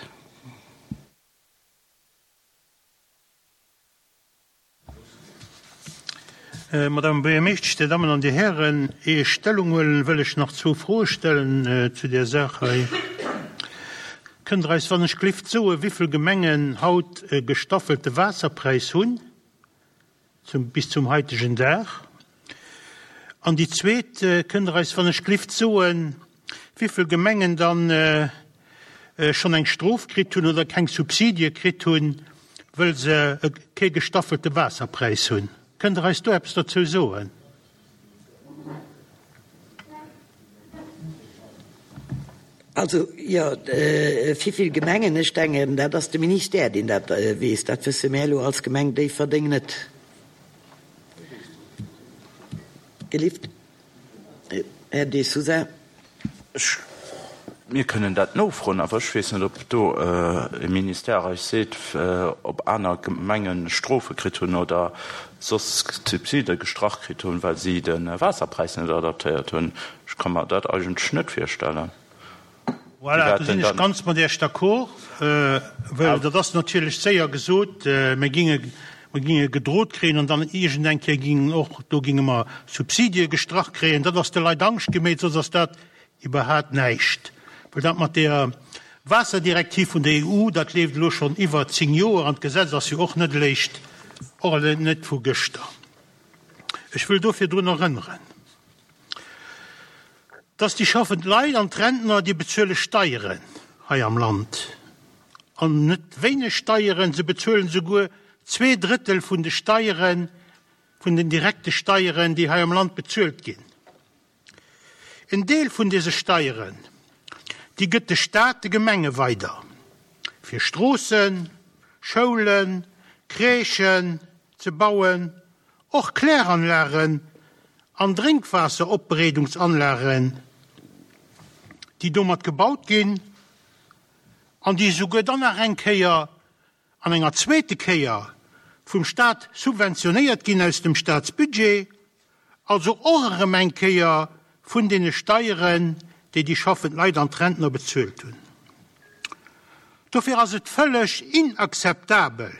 Madame Buergermeeschtesch, Dir Dammen an Dir Hären, ier ech Stellung huelen, wëll ech nach zwou Froe stellen zu där Saach hei. Kënnt Der eis wann ech glift soen, wéivill Gemengen haut e gestaffelte Waasserpräis hunn, zum, bis zum haitegen Dag? An déi zweet, Kënnt Der eis wann ech glift soen, wéivill Gemengen dann schonn eng Strof kritt hunn oder keng Subsidie kritt hunn, wëll se kee gestaffelte Waasserpräis hunn? Kënnt Der eis do eppes dozou soen? Also, jo, wéivill Gemengen, ech denken, dat ass de Ministère, deen dat weess. Dat wësse mär elo als Gemeng Déifferdeng net. Gelift, Här De Sousa. Ech, mir kënnen dat nofroen, awer ech weess net, ob do e Ministère eis seet, ob aner Gemenge Strofe kritt hunn oder soss Subside gestrach kritt hunn, well si de Waasserpräis net adaptéiert hunn. Ech ka mer dat eigentlech net virstellen. Voilà, do sinn ech ganz mat Iech d'accord, well dat ass natierlech séier gesot, mir ginge, mir ginge gedrot kréien an dann iergendeng Kéier gingen och, do ginge mer Subsidie gestrach kréien. Dat ass de Leit Angscht gemeet, soss ass dat iwwerhaat näischt. Well dat mat där Waasserdirektiv vun der E U, dat leeft elo schonn iwwer zéng Joer an d'Gesetz ass jo och net eréischt, och net vu gëschter. Ech wëll dofir drun erënneren, dass déi schaffend Leit an d'Rentner, déi bezuele Steieren hei am Land, an net wéineg Steieren, se bezuelen souguer zwee Drëttel vun de Steieren, vun den direkte Steieren, déi hei am Land bezuelt ginn. En Deel vun dese Steieren, déi gëtt de Staat de Gemenge weider, fir Stroossen, Schoulen, Crèchen ze bauen, och Kläranlagen an Drénkwaasseropbereedungsanlagen, déi domat gebaut ginn an déi esouguer dann nach eng Kéier an enger zweete Kéier vum Staat subventionéiert ginn aus dem Staatsbudget, also och erëm eng Kéier vun deene Steieren, déi déi schaffend Leit an d'Rentner bezuelt hunn. Dofir ass et vëlleg inakzeptabel,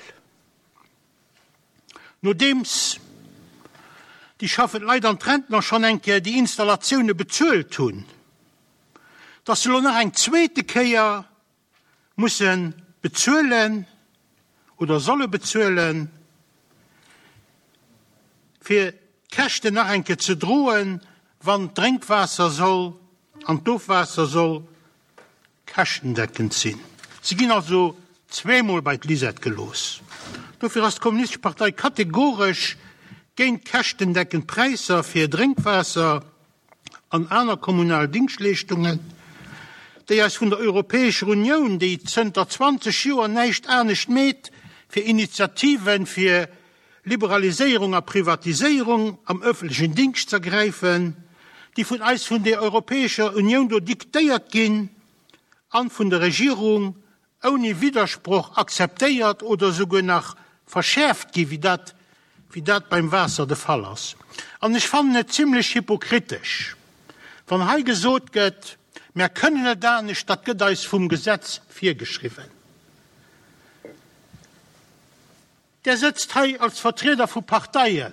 nodeems déi schaffend Leit an d'Rentner schonn eng Kéier déi Installatioune bezuelt hunn, dass se elo nach eng zweete Kéier musse bezuelen oder solle bezuelen, fir d'Käschten nach eng Kéier ze droen, wann d'Drénkwaasser soll an d'Ofwaasser soll käschtendeckend sinn. Si ginn also zweemol bei d'Lisette gelooss. Dofir ass d'Kommunistesch Partei kategoresch géint käschtendeckend Präisser fir Drénkwaasser an aner kommunal Dingschtleeschtungen, déi eis vun der Europäescher Unioun, déi zënter zwanzeg Joer näischt anescht meet, fir Initiativen fir Liberaliséierung a Privatiséierung am öffentlechen Dingscht z'ergräifen, déi vun eis vun der Europäescher Unioun do diktéiert ginn an vun der Regierung ouni Widdersproch akzeptéiert oder souguer nach verschäerft gi wéi dat wéi dat beim Waasser de Fall ass. An ech fannen et zimlech hypokritesch, wann hei gesot gëtt, Mär kënnen net anescht, dat gëtt eis vum Gesetz virgeschriwwen. Där sëtzt hei als Vertrieder vu Parteien,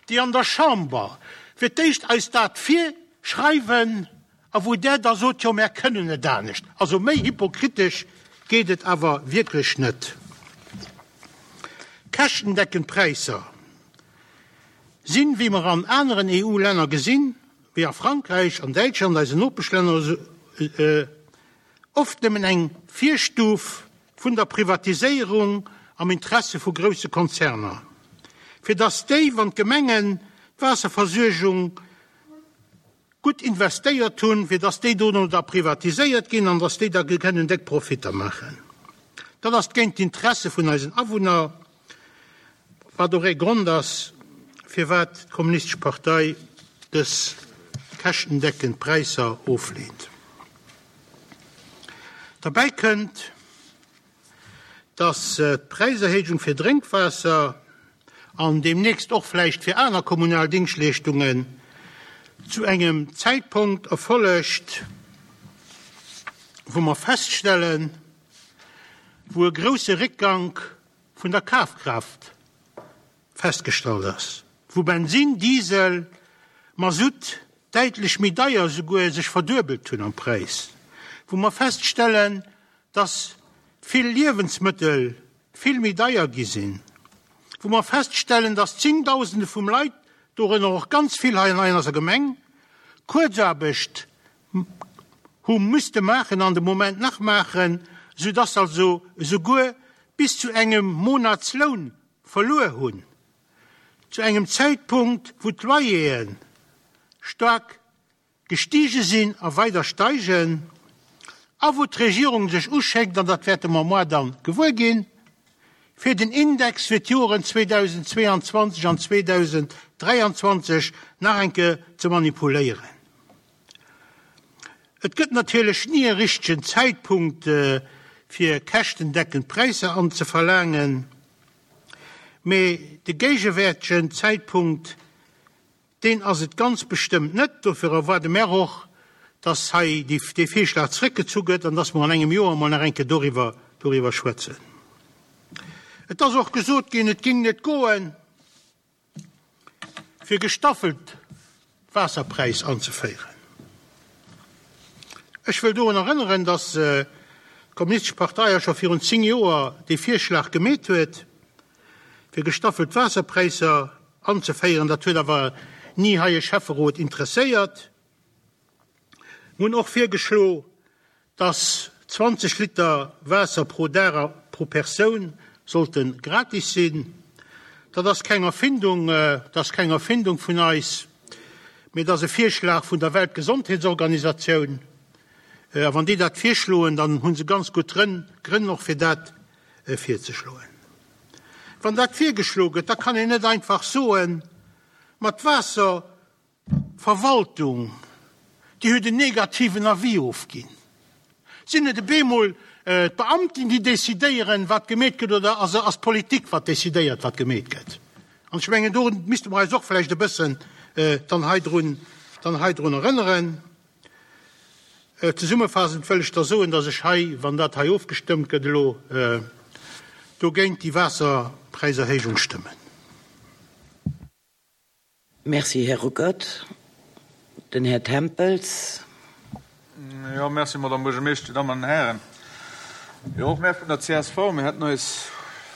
déi an der Chamber fir d'éischt eis dat virschreiwen a wou Där da sot, jo, mär kënnen net anescht. Also méi hypokritesch geet et awer wierklech net. Käschtendeckend Präisser sinn, wéi mer an aneren EU-Länner gesinn, wéi a Frankräich, an Däitschland, eisen Nopeschlänner, oft nëmmen eng Virstuf vun der Privatiséierung am Interesse vu grousse Konzerner, fir datt déi, wann d'Gemengen d'Waasserversuergung gutt investéiert hunn, fir datt déi dono da privatiséiert ginn an datt déi da kënnen déck Profitter maachen. Dat ass géint d'Interesse vun eisen Awunner, wat och ee Grond ass, firwat d'Kommunistesch Partei dës käschtendeckend Präisser ofleent. Derbäi kënnt, dass d'Präiserhéijung fir Drénkwaasser an deemnächst och vläicht fir aner kommunal Dingschtleeschtungen zu engem Zäitpunkt erfollegt, wou mer feststellen, wou e grousse Réckgank vun der Kafkraaft festgestallt ass, wou Bensin, Diesel, Masutt däitlech méi deier, souguer sech verduebelt hunn am Präis, wou mer feststellen, dass vill Liewensmëttel vill méi deier gi sinn, wou mer feststellen, dass Zéngdausende vum Leit, dorënner och ganz vill hei an eiser Gemeng, Kuerzaarbecht hu müsste maachen an de Moment nach maachen, soudass also esouguer bis zu engem Monatsloun verluer hunn, zu engem Zäitpunkt, wou d'Loyere staark gestige sinn a weider steigen a wou d'Regierung sech uschéckt, an dat wäerte mer moar dann gewuer ginn, fir den Index fir d'Joren zweedausendzweeanzwanzeg an zweedausenddräianzwanzeg nach eng Kéier ze manipuléieren. Et gëtt natierlech ni e richtegen Zäitpunkt, fir käschtendeckend Präisser anzeverlaangen, mee de géigewäertegen Zäitpunkt, deen ass et ganz bestëmmt net. Dofir erwaarde mär och, dass hei dee Virschlag zréckgezu gëtt an dass mer an engem Joer emol nach eng Kéier doriwwer, doriwwer schwätzen. Et ass och gesot ginn, et géing net goen, fir gestaffelt Waasserpräis anzeféieren. Ech wëll dorun erënneren, dass d'Kommunistesch Partei jo scho virun zéng Joer dee Virschlag gemeet huet, fir gestaffelt Waasserpräisser anzeféieren. Dat huet awer ni hei e Schäfferot interesséiert. Mir hunn och virgeschlo, dass zwanzeg Liter Waasser pro Dag a pro Persoun sollte gratis sinn. Dat ass keng Erfindung, dat ass keng Erfindung vun eis, mee dat ass e Virschlag vun der Weltgesondheetsorganisatioun. A wann déi dat virschloen, dann hu se ganz gutt Grënn och fir dat virzeschloen. Wann dat virgeschlo gëtt, da kann een net einfach soen, ma d'Waasserverwaltung, déi huet en negativen Avis ofginn. Sinn et op eemol d'Beamten, déi decidéieren, wat gemeet gëtt, oder ass d'Politik, wat decidéiert, wat gemeet gëtt? An ech mengen, do misste mer eis och vläicht e bëssen dann hei drun, dann hei drun erënneren. Zesummefaassend wëll ech da soen, dass ech hei, wann dat hei ofgestëmmt gëtt elo, dogéint déi Waasserpräiserhéijung stëmmen. Merci, Här Ruckert. Den Här Tempels. Jo, merci, Madame Buergermeeschter, Dir Dammen an Hären. Jo, och mär vun der C S V, mir hätten eis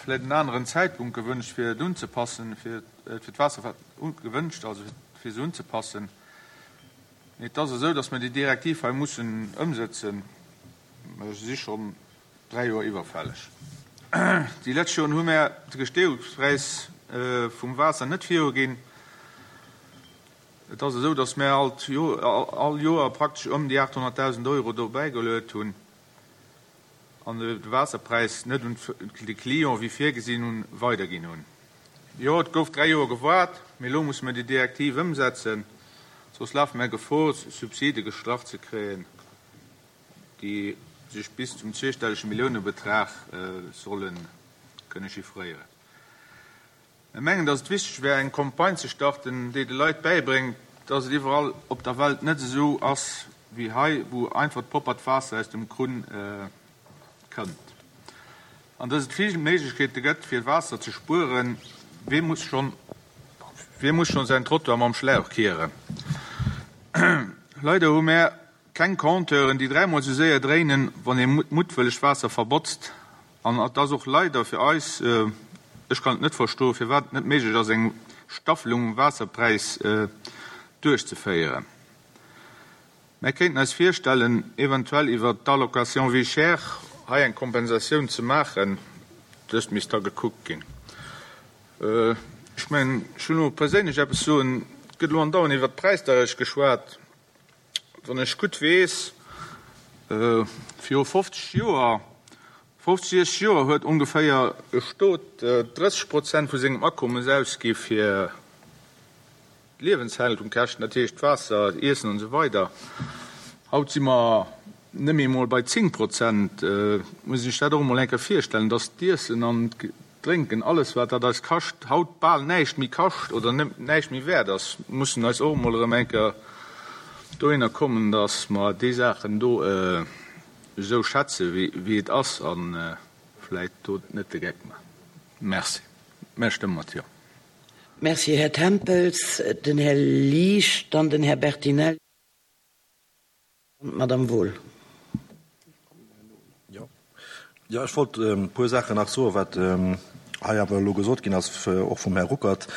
vläicht en aneren Zäitpunkt gewünscht, fir et unzepassen, fir fir d'Waasser gewünscht, also fir se unzepassen. Mee et ass esou, datt mer déi Direktiv hei mussen ëmsëtzen. Se si schonn dräi Joer iwwerfälleg. Déi lescht Joren hu mär de Gesteeungspräis vum Waasser net viruginn. Et ass esou, datt mär alt all Joer praktesch ëm déi aathonnertdausend Euro do bäigeluet hunn an de Waasserpräis net un de Client, wéi virgesinn hunn, weiderginn hunn. Jo, et gouf dräi Joer gewaart, mee elo musse mer déi Direktiv ëmsetzen, soss lafe mär Gefor, Subside gestrach ze kréien, déi sech bis zum zweestellege Milliounebetrag solle kënne chiffréieren. Mir mengen, dass et wichteg wär, eng Campagne ze starten, déi de Leit bäibréngt, dass et iwwerall op der Welt net esou ass wéi hei, wou einfach proppert Waasser aus dem Krunn kënnt. An dass et vill Méiglechkeete gëtt, fir Waasser ze spueren. Wee muss schonn, wee muss schonn säin Trottoir mam Schlauch kieren? Leider hu mär keng Compteuren, déi dräimol esou séier dréinen, wann ee muttwëlleg Waasser verbotzt. An et ass och leider fir eis, ech kann et net verstoen, firwat et net méiglech ass, eng Staffelung um Waasserpräis duerchzeféieren. Mär kéinten eis virstellen, eventuell iwwer d'Allocation vie chère hei eng Kompensatioun ze maachen. Dëst misst da gekuckt ginn. Ech mengen, ech wëll elo perséinlech eppes soen. Et gëtt elo andauernd iwwert d'Präisdeierecht geschwat. Wann ech gutt weess, viru fofzeg Joer, fofzeg, siechzeg Joer huet ongeféier e Stot drësseg Prozent vu sengem Akommes ausgi fir d'Liewenshaltungkäschten, dat heescht Waasser, Iessen an esou weider. Haut si mer net méi emol bei zéng Prozent. Et muss ee sech dat och emol eng Kéier virstellen, dass d'Iessen an d'Drénken, alles wat dat eis kascht, haut bal näischt méi kascht oder näischt méi wäert ass. Mir mussen eis och emol erëm eng Kéier dohinner kommen, dass mer déi Saachen do esou schätze wéi et ass a vläicht do net de Geck maachen. Merci. Mär stëmme mat Jo. Merci, Här Tempels. Den Här Liesch, dann den Här Bertinelli an d'Madame Wohl. Jo, ech wollt e puer Saachen nach soen, wat hei awer elo gesot ginn ass, och vum Här Ruckert,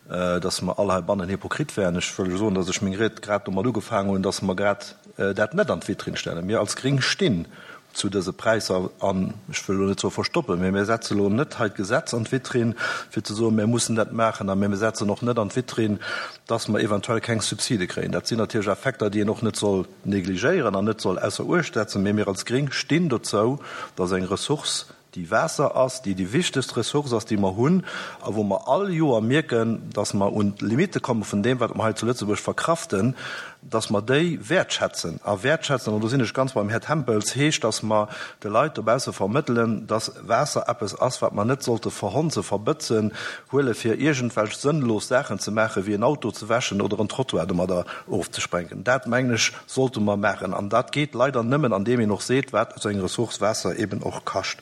dass mer all heibannen Hypokrit wären. Ech wëll soen, dass ech meng Ried grad domat ugefaangen hunn, dass mer grad dat net an d'Vitrinn stellen. Mir als Gréng stinn zu dëse Präisser an ech wëll elo net soe verstoppen, mä mir setze elo net hei d'Gesetz an d'Vitrinn, fir ze soen, mir mussen dat maachen, a mir setzen och net an d'Vitrinn, dass mer eventuell keng Subside kréien. Dat sinn natierlech Effekter, déi een och net soll negligéieren an net soll ausser Uecht setzen, mä mir als Gréng stinn dozou, dass eng Ressource, déi Waasser ass, déi déi wichtegst Ressource ass, déi mer hunn, a wou mer all Joer mierken, dass mer un d'Limitte komme vun deem, wat mer hei zu Lëtzebuerg verkraften, dass mer déi wäertschätzen. A wäertschätzen, an do sinn ech ganz beim Här Tempels, heescht, dass mer de Leit dobausse vermëttelen, dass Waasser eppes ass, wat mer net sollte verhonzen, verbëtzen, huele fir iergendwelch sënnlos Saachen ze maachen, wéi en Auto ze wäschen oder en Trottoir domadder ofzesprengen. Dat, mengen ech, sollte mer maachen. An dat geet leider nëmmen, andeem een och seet, wat esou eng Ressource Waasser eben och kascht.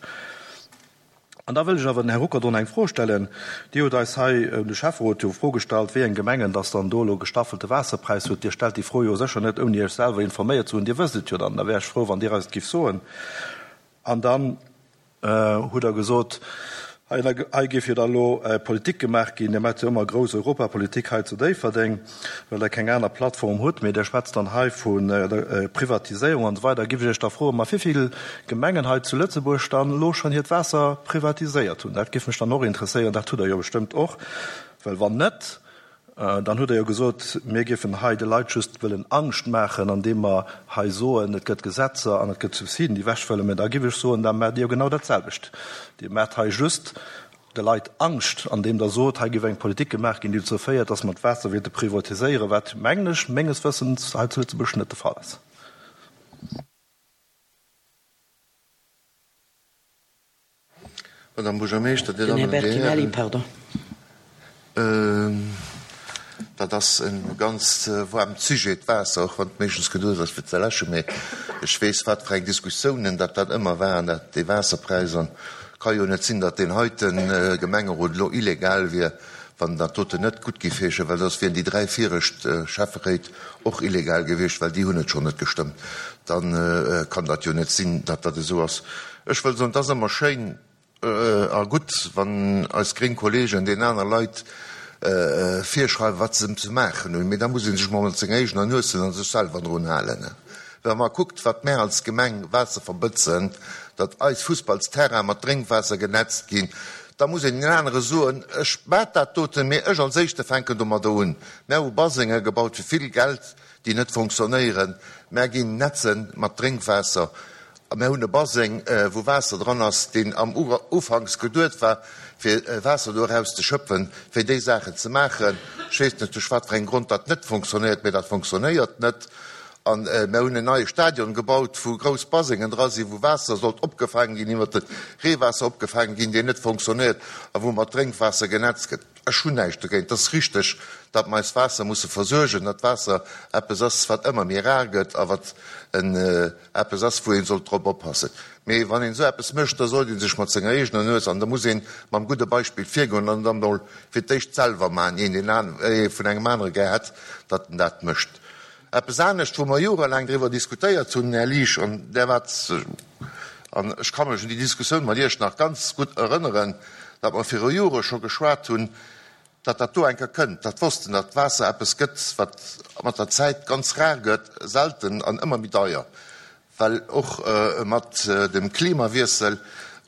An da wëll ech awer den Här Ruckert och nach eng Fro stellen. Dir hutt eis hei, de Schäfferot, jo d'Fro gestallt, wéi eng Gemengen dass dann do elo gestaffelte Waasserpräis huet. Dir stellt déi Fro jo sécher net, ouni Iech selwer informéiert ze hunn. Dir wësst et jo dann. Da wär ech frou, wann Dir eis et giff soen. An dann hutt Der gesot, hei géif jo da elo Politik gemaach ginn. Dir maacht jo ëmmer grouss Europapolitik hei zu Déifferdeng, well Der keng aner Plattform hutt. Mee Dir schwätzt dann hei vu Privatiséierung an esou weider. Giff ech Iech da froen, ma wéi vill Gemengen hei zu Lëtzebuerg dann elo schonn hiert Waasser privatiséiert hunn? Dat giff mech dann och interesséieren. Dat hutt Der jo bestëmmt och. Well wann net, dann hutt Der jo gesot, mir géifen hei de Leit just wëllen Angscht maachen, andeem mer hei soen, et gëtt Gesetzer an et gëtt Subsiden, déi ewechfëllen. Mä da giff ech soen, da maacht Dir jo genau dat selwecht. Dir maacht hei just de Leit Angscht, andeem Der sot, hei géif eng Politik gemaach ginn, déi dozou féiert, dass mer d'Waasser wéilte privatiséieren, wat, mengen ech, menges Wëssens hei zu Lëtzebuerg net de Fall ass. Madame Buergermeeschter, Dir Den Här Dammen an Dir Bertinelli, Hären, pardon. dat ass e ganz waarmt Sujet, d'Waasser, och wann et meeschtens geduecht ass fir ze läschen. Mee ech weess, wat fir eng Diskussiounen dat dat ëmmer waren, dat dee Waasserpräis. An et ka jo net sinn, datt deen heite Gemengerot elo illegal wier, wann dat doten net gutt géif heeschen, well soss wieren déi dräi viregt Schäfferéit och illegal gewiescht, well déi hunn et schonn net gestëmmt. Da kann dat jo net sinn, datt dat esou ass. Ech wëll soen, et ass ëmmer schéin a gutt, wann eis gréng Kollegen deenen aner Leit virschreiwen, wat se ze maachen hunn, mee da muss ee sech mol mat senger eegener Nues an sech selwer drun halen. Wa mer kuckt, wat mär als Gemeng Waasser verbëtzen, datt eis Fussballsterraine mat Drénkwaasser genetzt ginn, da muss een den anere soen, ech maat dat doten, mee ech als Éischte fänken domadder un. Mär hu Basenge gebaut fir vill Geld, déi net fonctionnéieren. Mär ginn netze mat Drénkwaasser. A mär hunn e Baseng, wou Waasser dran ass, deen am ufanks geduet war, fir Waasser do eraus ze schöpfen, fir déi Saachen ze maachen. Ech weess net, duerch wat fir engem Grond dat net fonctionnéiert, mee dat fonctionnéiert net. A mär hunn en neie Stadion gebaut, wou grouss Basengen dra sinn, wou Waasser sollt opgefaangen ginn, iwwert de Reewaasser opgefaangen ginn, deen net fonctionnéiert a wou mat Drénkwaasser genetzt gëtt. Ech hunn näischt dogéint, et ass richteg, datt mer eist Waasser musse versuergen, datt Waasser eppes ass, wat ëmmer méi rar gëtt a wat en eppes ass, wou ee sollt drop oppassen. Mee wann een esou eppes mécht, da sollt ee sech mat senger eegener Nues an da muss ee mam gudde Beispill virgoen an dann emol fir d'éischt selwer maachen, ier een deen vun engem anere gär hätt, datt en dat mécht. Eppes anescht, wou mer jorelaang driwwer diskutéiert hunn, Här Liesch, an där waart, an ech ka mech un déi Diskussioun mat Iech nach ganz gutt erënneren, datt mer viru Jore scho geschwat hunn, datt dat do eng Kéier kënnt, datt wossten, datt Waasser eppes gëtt, wat mat der Zäit ganz rar gëtt, selten an ëmmer méi deier, well och mat dem Klimawiessel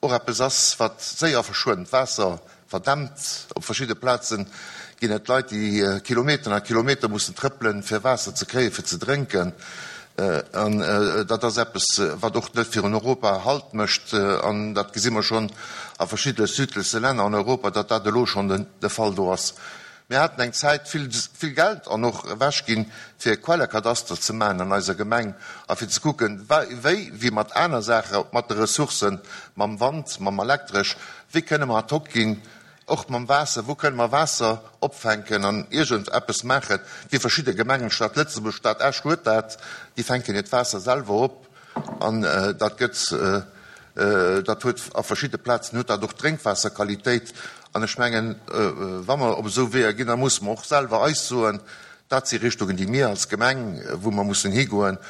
och eppes ass, wat séier verschwënnt. Waasser verdämpt. Op verschidde Plaze ginn et Leit, déi Kilometeren a Kilometer mussen trëppelen, fir Waasser ze kréien, fir ze drénken. An dat ass eppes, wat och net virun Europa Halt mécht. An dat gesi mer schonn a verschiddene südleche Länner an Europa, datt dat elo schonn de Fall do ass. Mir haten eng Zäit vill, vill Geld an och ewechginn, fir e Quellekadaster ze maachen an eiser Gemeng a fir ze kucken, wéi, wéi mat aner Saache, mat de Ressourcen, mam Wand, mam Elektresch, wéi kënne mer ad hoc ginn, Och mam Waasser, wou kënne mer Waasser opfänken an iergend eppes maachen, wéi verschidde Gemengen, d'Stad Lëtzebuerg, d'Stad Esch huet dat, déi fänken hiert Waasser selwer op an dat gëtt, dat huet a verschidde Plazen huet dat och Drénkwaasserqualitéit. An ech mengen, wa mer op esou Weeër ginn, da musse mer och selwer eis soen, dat si Richtungen, déi mir als Gemeng, wou mer mussen higoen.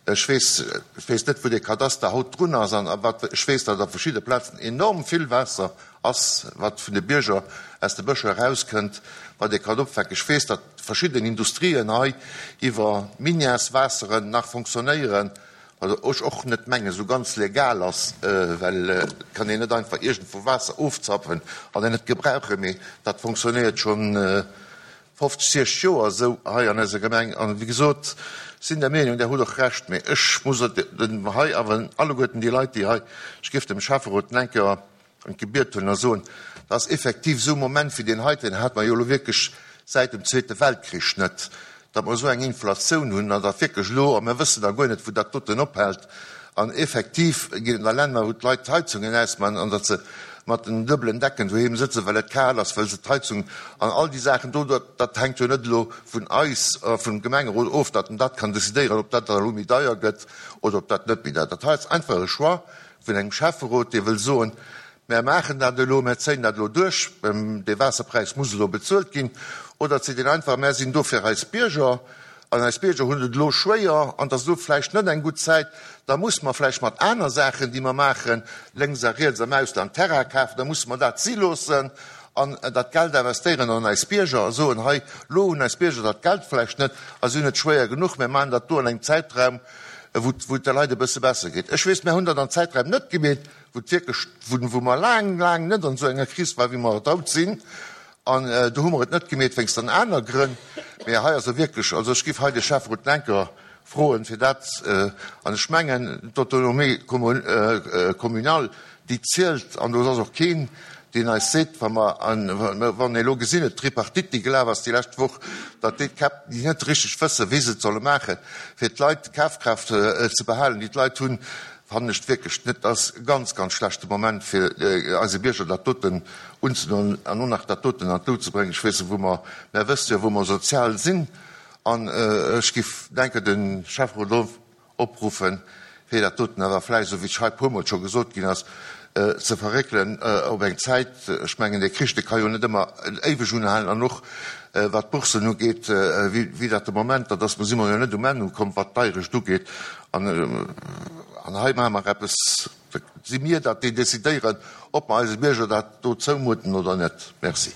Ech weess, ech weess net, wou dee Kadaster haut drun ass an wat, ech weess, datt a verschidde Plazen enorm vill Waasser ass, wat vun de Bierger aus de Bëscher erauskënnt, wat ee kann opfänken. Ech weess, datt verschidden Industrien hei iwwer Minièreswaasseren nach fonctionnéieren, wat ech och net mengen esou ganz legal ass, well et kann een net einfach iergendwou Waasser ofzapfen an en net gebrauchen, mee dat fonctionnéiert schonn fofzeg, siechzeg Joer esou hei an eiser Gemeng. An wéi gesot, sinn der Meenung, Der hutt och Recht, mee ech muss hei awer alleguerten déi Leit, déi hei, ech géif dem Schäfferot en Enker an d'Gebiet huelen a soen, dat ass effektiv esou e Moment wéi deen heiten hate mer jo elo wierklech säit dem Zweete Weltkrich net, datt mer esou eng Inflatioun hunn an datt wierklech elo, a mir wëssen da guer net, wou dat doten ophält, an effektiv ginn et nach Länner, wou d'Leit d'Heizungen ausmachen an datt se mat den duebelen Decken doheem sëtzen, well et kal ass, well se d'Heizung an all déi Saachen do, dat hänkt jo net elo vun eis, vum Gemengerot of, datt en dat kann decidéieren, ob dat dann elo méi deier gëtt oder ob dat net méi deier. Dat hei ass einfach e Choix vun engem Schäfferot, dee wëll soen, Mär maachen dat elo, mär zéien dat elo duerch, dee Waasserpräis muss elo bezuelt ginn. Oder et seet een einfach, mär sinn do fir eis Bierger an eis Bierger hunn et elo schwéier an et ass elo vläicht net eng gutt Zäit, da musse mer vläicht mat aner Saachen, déi mer maachen, lénks a riets am Ausland Terrain kafen, da musse mer dat si loossen an dat Geld investéieren an eis Bierger a soen, hei, elo hunn eis Bierger dat Geld vläicht net a si hunn et schwéier genuch, mär maachen dat do an engem Zäitraum, wou et de Leit e bësse besser geet. Ech weess, mär hunn dat an Zäitraim net gemeet, wou et wierklech, wou mer laang, laang net an esou enger Kris waren, wéi mer et haut sinn. An do hu mer et net gemeet wéinst an aner Grënn. Mä hei ass e wierklech, also ech géif hei de Schäfferot Lenker froen, fir dat, an ech mengen, d'Autonomie communale, déi zielt, an do ass och keen, deen eis seet, wa mer, wann ee elo gesinn huet, d'Tripartite, déi gelaf ass déi lescht Woch, datt déi Käpp, déi net richteg wëssen, wéi se et solle maachen, fir d'Leit d'Kafkraaft ze behalen, déi d'Leit hunn, fannen ech wierklech net, ass e ganz, ganz schlechte Moment, fir eise Bierger dat doten unzedoen an och nach dat doten an d'Lut ze bréngen. Ech weess net, wou mer, Mär wësst jo, wou mer sozial sinn, an ech géif denken, de Schäfferot opruffen, fir dat doten awer vläicht, esou wéi et hei e puermol scho gesot ginn ass, ze verréckelen op eng Zäit. Ech mengen, dee Krich, dee ka jo net ëmmer éiweg unhalen. An och wat d'Boursen ugeet, wéi dat de Moment dat ass, do si mer jo net um Enn ukomm, wat d'Deierecht ugeet. An hei maache mer eppes, da si mir dat, déi decidéieren, ob mer eise Bierger dat do zoumuten oder net. Merci.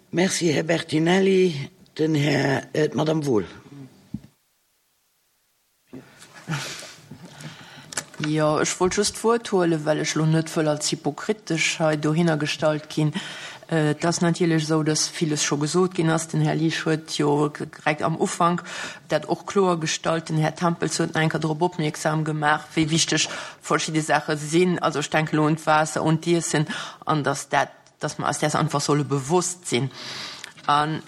Merci, Här Bertinelli. Den Här, d'Madame Wohl. Jo, ech wollt just d'Wuert huelen, well ech elo net wëll als hypokritesch hei dohinner gestallt ginn. Et ass natierlech esou, dass villes scho gesot ginn ass. Den Här Liesch huet jo direkt am Ufank dat och kloer gestallt. Den Här Tempels huet nach eng Kéier drop opmierksam gemaach, wéi wichteg verschidde Saache sinn. Also ech denken elo un d'Waasser, un d'Iessen an dass dat, dass mer eis däers einfach solle bewosst sinn. An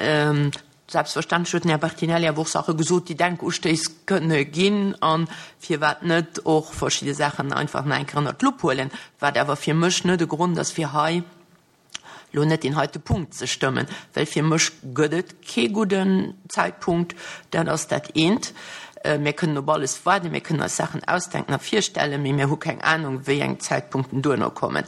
Selbstverständlech huet den Här Bertinelli awer och Saache gesot, déi Denkustéiss kënne ginn a firwat net och verschidde Saachen einfach nach eng Kéier ënnert d'Lupp huelen, wat awer fir mech net e Grond ass, fir hei lo net deen heite Punkt ze stëmmen, well fir mech gëtt et kee gudden Zäitpunkt. Dat ass dat eent. Mir kënnen op alles waarden, mir kënnen eis Saachen ausdenken a virstellen, mee mir hu keng Anung, wéi eng Zäitpunkten duerno kommen.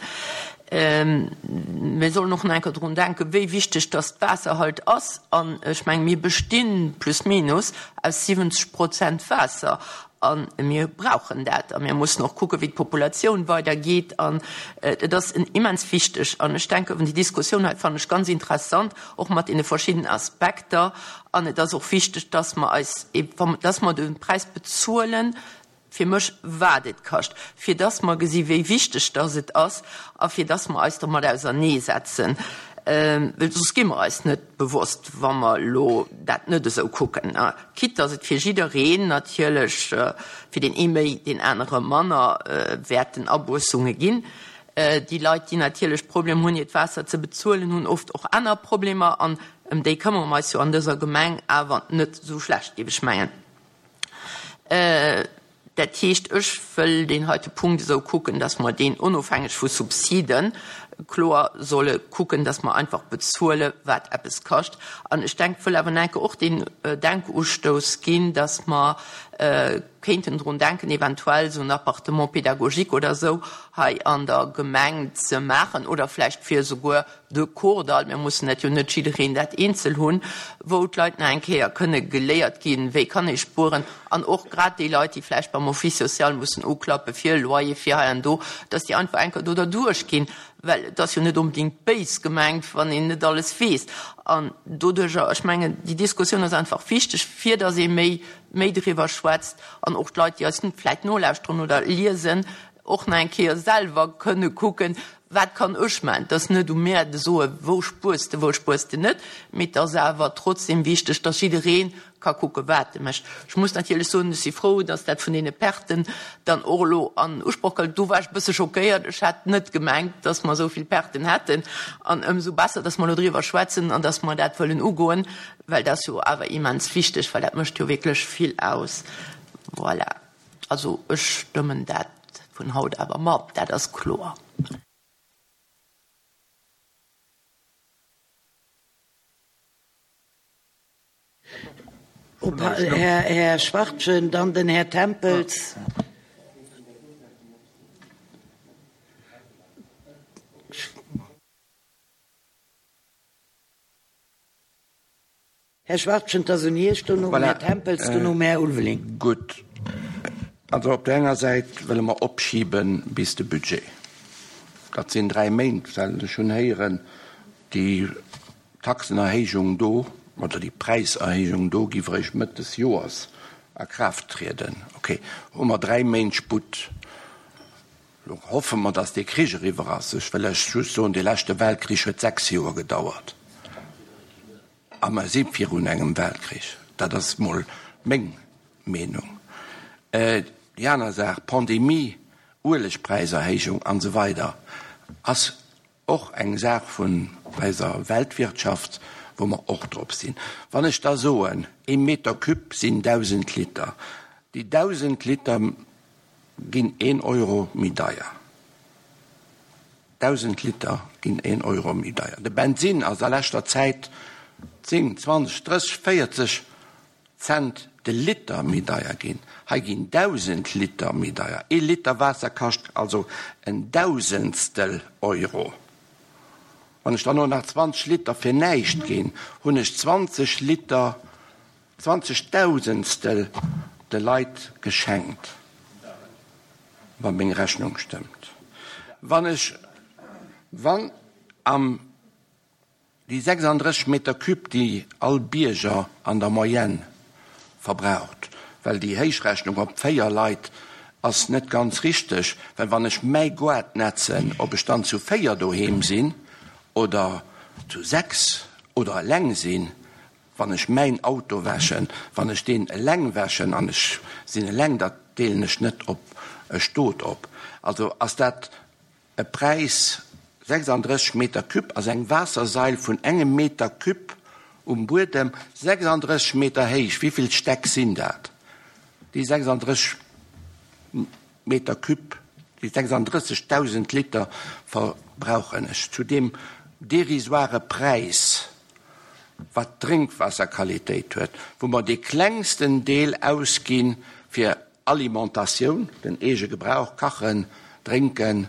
Mir sollen och nach eng Kéier drun denken, wéi wichteg dass d'Waasser halt ass. An ech mengen, mir bestinn plus minus aus siwwenzeg Prozent Waasser. A mir brauchen dat. A mir mussen och kucken, wéi d'Populatioun weidergeet. An et ass immens wichteg. An ech denken, déi Diskussioun hei fannen ech ganz interessant, och mat deene verschiddenen Aspekter. An et ass och wichteg, dass mer eis, dass mer de Präis bezuelen, fir mech, wat et kascht, fir dass mer gesi wéi wichteg dass et ass a fir dass mer eis domat auserneesetzen, well soss gi mer eis net bewosst, wa mer elo dat net esou kucken, quitte dass et fir jiddereen natierlech, fir deen ee méi, deen anere manner, wäerten Abuessunge ginn. Déi Leit, déi natierlech Problem hunn, hiert Waasser ze bezuelen, hunn oft och aner Problemer an ëm déi këmmere mer eis jo an dëser Gemeng awer net esou schlecht, géif ech mengen. Dat heescht, ech wëll deen heite Punkt esou kucken, dass mer deen onofhängeg vu Subsiden kloer solle kucken, dass mer einfach bezuele wat eppes kascht. An ech denk, wëll awer enke och deen Denkustouss ginn, dass mer kéinten drun denken, eventuell esou en Appartement pédagogique oder esou hei an der Gemeng ze maachen oder vläicht fir esouguer de Kordall, mir mussen dat jo net jiddereen dat eenzel hunn, wou d'Leit nach eng Kéier kënne geléiert ginn, wéi kann ee spueren, an och grad déi Leit, déi vläicht beim Office social mussen uklappe fir e Loyer, fir hei an do, dass déi einfach eng Kéier do derduerch ginn, well et ass jo net onbedéngt béis gemengt, wann een net alles weess. An doduerjer, ech mengen, déi Diskussioun ass einfach wichteg, fir dass ee méi, méi driwwer schwätzt an och d'Leit, déi eis vläicht nolauschteren oder liesen, och nach eng Kéier selwer kënne kucken, Wat kann ech man? Et ass net u mär de soen, wou spuers de, wou spuers de net, mee et ass awer trotzdem wichteg, dass jidderee ka kucken, wat e mécht. Ech muss natierlech soen, ech si frou, dass dat vun deene Perten dann och elo an Usproch gëllt. Do war ech e bësse schockéiert. Ech hat net gemengt, dass mer esou vill Perten hätten. An ëmsou besser, dass mer elo driwwer schwätzen an dass mer dat wëllen ugoen, well dat ass jo awer immens wichteg, well dat mécht jo wierklech vill aus. Voilà. Also ech stëmmen dat vun haut awer mat, dat ass kloer. Här Schwachtgen, dann den Här Tempels. Här Schwachtgen, et ass un Iech, dono den Här Tempels, dono den Här Ulveling. Gutt. Also op där enger Säit wëlle mer opschibe bis de Budget. Dat sinn dräi Méint, well ech hunn héieren, déi Taxenerhéijung do oder déi Präiserhéijung do géif eréischt Mëtt des Joers a Kraaft trieden. Okay, hu mer dräi Méint Sputt. Elo hoffe mer, datt dee Krich eriwwer ass. Ech wëll lech just soen, dee leschte Weltkrich huet sechs Joer gedauert. A mer si virun engem Weltkrich. Dat ass mol meng Meenung. Déi aner Saach, Pandemie, Uelegpräiserhéijung an esou weider, ass och eng Saach vun eiser Weltwirtschaft, wou mer och drop sinn. Wann ech da soen, ee Meter cube sinn dausend Liter, déi dausend Liter ginn een Euro méi deier. Dausend Liter ginn een Euro méi deier. De Bensinn ass a leschter Zäit zéng, zwanzeg, drësseg, véierzeg Cent de Liter méi deier ginn. Hei ginn dausend Liter méi deier. Ee Liter Waasser kascht also en Dausendstel Euro. Wann ech dann och nach zwanzeg Liter fir näischt ginn, hunn ech zwanzeg Liter, zwanzeg Dausendstel de Leit geschenkt, wa meng Rechnung stëmmt. Wann ech, wann am. Déi sechsanddrësseg Meter cube, déi all Bierger an der Moyenne verbraucht, well déi Héichrechnung op véier Leit ass net ganz richteg, well wann ech mäi Goart netzen, ob ech dann zu véier doheem sinn oder zu sechs oder eleng sinn, wann ech mäin Auto wäschen, wann ech deen eleng wäschen an ech sinn eleng, dat deelen ech net op e Stot op. Also ass dat E Präis, sechsanddrësseg Meter cube ass eng Waassersail vun engem Meter cube um Buedem, sechsanddrësseg Meter héich. Wéi vill Stäck sinn dat? Déi sechsanddrësseg Meter cube, déi sechsanddrëssegdausend Liter verbrauchen ech. Zudeem dérisoire Präis, wat d'Drénkwaasserqualitéit huet, wou mer dee klengsten Deel ausgi fir Alimentatioun, den eege Gebrauch, kachen, drénken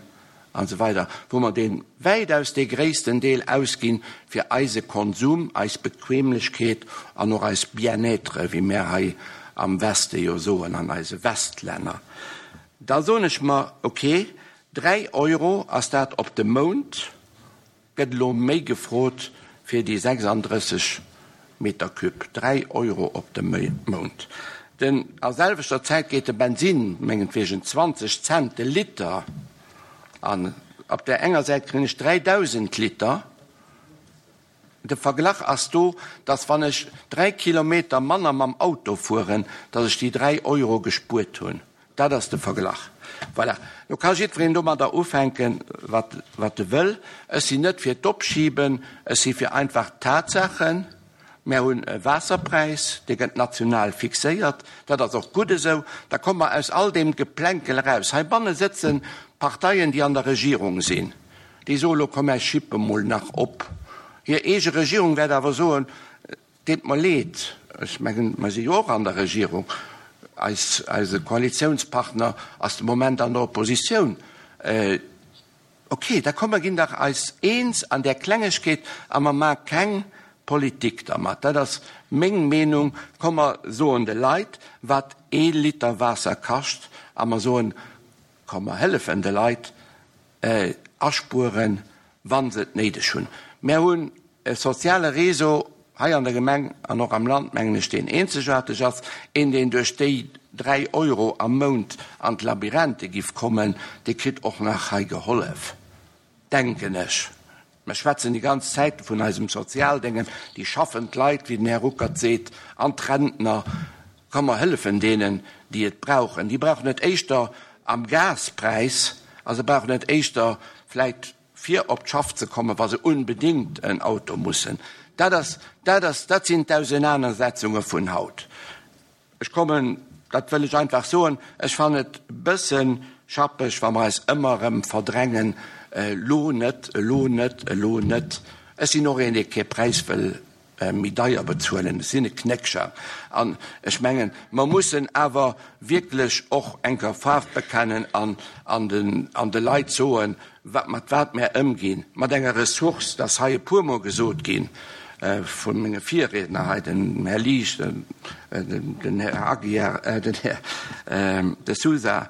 an esou weider, wou mer dee wäitaus dee gréissten Deel ausgi fir eise Konsum, eis Bequemlechkeet an och eis Bien-être, wéi mär hei am Weste jo soen, an eise Westlänner, da soen ech mer, okay, dräi Euro ass dat op de Mount, gëtt elo méi gefrot fir déi sechsanddrësseg Meter cube, dräi Euro op de Mount. Den a selwechter Zäit geet de Bensin mengetwegen zwanzeg Cent de Liter an op där enger Säit kréien ech dräidausend Liter. De Verglach ass do, dass wann ech dräi Kilometer manner mam Auto fueren, dass ech déi dräi Euro gespuert hunn. Dat ass de Verglach. Voilà. Lo ka jiddwereen domadder ufänken, wat, wat e wëll. Ech sinn net fir d'Opschiben, ech si fir einfach Tatsaachen. Mär hunn e Waasserpräis, dee gëtt national fixéiert. Dat ass och gutt esou. Da komme mer aus all deem Geplänkel eraus. Heibanne sëtze Parteien, déi an der Regierung sinn, déi soe lo, komm, mär schippe mol nach op. Hir eege Regierung wäert awer soen, Deet mer leed, ech mengen, mer si jo och an der Regierung, eis, eise Koalitiounspartner ass de Moment an der Oppositioun. Okay, da komm mer ginn dach eis eens an där Klengegkeet a mer maache keng Politik dermat. Dat ass meng Meenung. Komm mer soen de Leit, wat ee Liter Waasser kascht a mer soen, komm mer hëllefen de Leit aspueren, wa se et néideg hunn. Mer hunn e soziale Réseau hei an der Gemeng an och am Land, mengen ech, deen eenzegaarteg ass. Een, deen duerch déi dräi Euro am Mount an d'Labyrinthe giff kommen, dee kritt och nach hei gehollef, denken ech. Mer schwätzen déi ganz Zäit vun eisem Sozialdéngen, déi schaffend Leit, wéi den Här Ruckert seet, an d'Rentner. Komm mer hëllefen deenen, déi et brauchen. Déi brauchen et éischter am Gaspräis a se brauchen et éischter vläicht fir op d'Schaff ze kommen, wa se unbedéngt en Auto mussen. Dat ass, dat ass, dat sinn d'Ausenanersetzunge vun haut. Ech kommen, dat wëll ech einfach soen, ech fannen et e bësse schappeg, wa mer eis ëmmer erëm verdrängen, elo net, elo net, elo net. Ech sinn och een, dee kee Präis wëll méi deier bezuelen. Ech sinn e Knéckcher. An ech mengen, mer mussen awer wierklech och eng Kéier Faarf bekennen an an den an de Leit soen, wat mat wat mär ëmginn, mat enger Ressource, dat ass hei e puermol gesot gi vu menge Virriedner hei, dem Här Liesch, den Här Aguiar, den Här De Sousa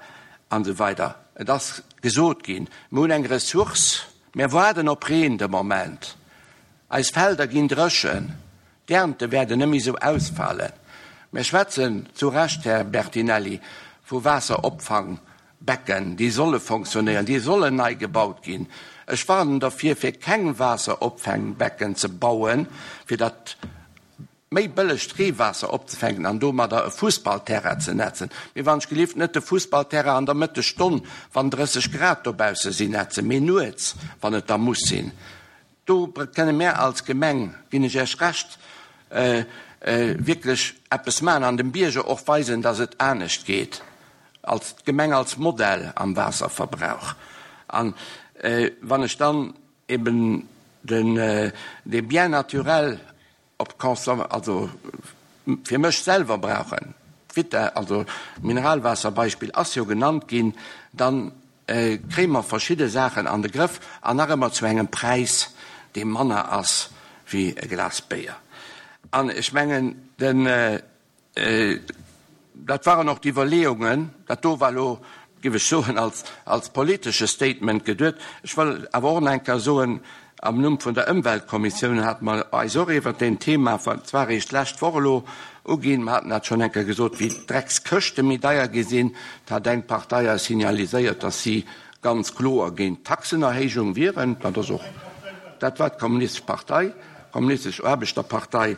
an esou weider. Et ass gesot ginn, mer hunn eng Ressource, mär waarden op Reen de Moment. Eis Felder ginn dréchen, d'Ernte wäerten net méi esou ausfalen. Mir schwätzen zu Recht, Här Bertinelli, vu Waasseropfangbecken, déi solle fonctionnéieren, déi sollen nei gebaut ginn. Ech warnen dervir, fir keng Waasseropfangbecken ze bauen, fir dat méi bëllegt Reewaasser opzefänken an domadder e Fussballterrain ze nätzen. Mee wann ech gelift net de Fussballterrain an der Mëttesstonn, wann drësseg Grad dobausse sinn, nätzen, mee nuets, wann et da muss sinn. Do kënne mär als Gemeng, ginn ech Iech Recht, wierklech eppes maachen an dem Bierger och weisen, dass et anescht geet als d'Gemeng als Modell am Waasserverbrauch. An wann ech dann eben den, dee Bien naturel op d'Consom-, also fir mech selwer brauchen, d'Vita, also d'Mineralwaasserbeispill ass jo genannt ginn, dann kréie mer verschidde Saachen an de Grëff an nach ëmmer zu engem Präis, dee manner ass wéi e Glas Béier. An ech mengen, den, dat waren och d'Iwwerleeungen, dat do war elo, géif ech soen, als, als politesche Statement geduet. Ech wëll awer och nach eng Kéier soen, am Numm vun der Ëmweltkommissioun hate mer eis och iwwert deen Thema, zwar eréischt d'lescht Woch elo, uginn. Mer haten dat schonn eng Kéier gesot, wéi d'Dreckskëschte méi deier gi sinn. Da hat eng Partei eis signaliséiert, datt si ganz kloer géint d'Taxenerhéijung wieren. Dat ass och, dat war d'Kommunistesch Partei, d'Kommunistesch Aarbechterpartei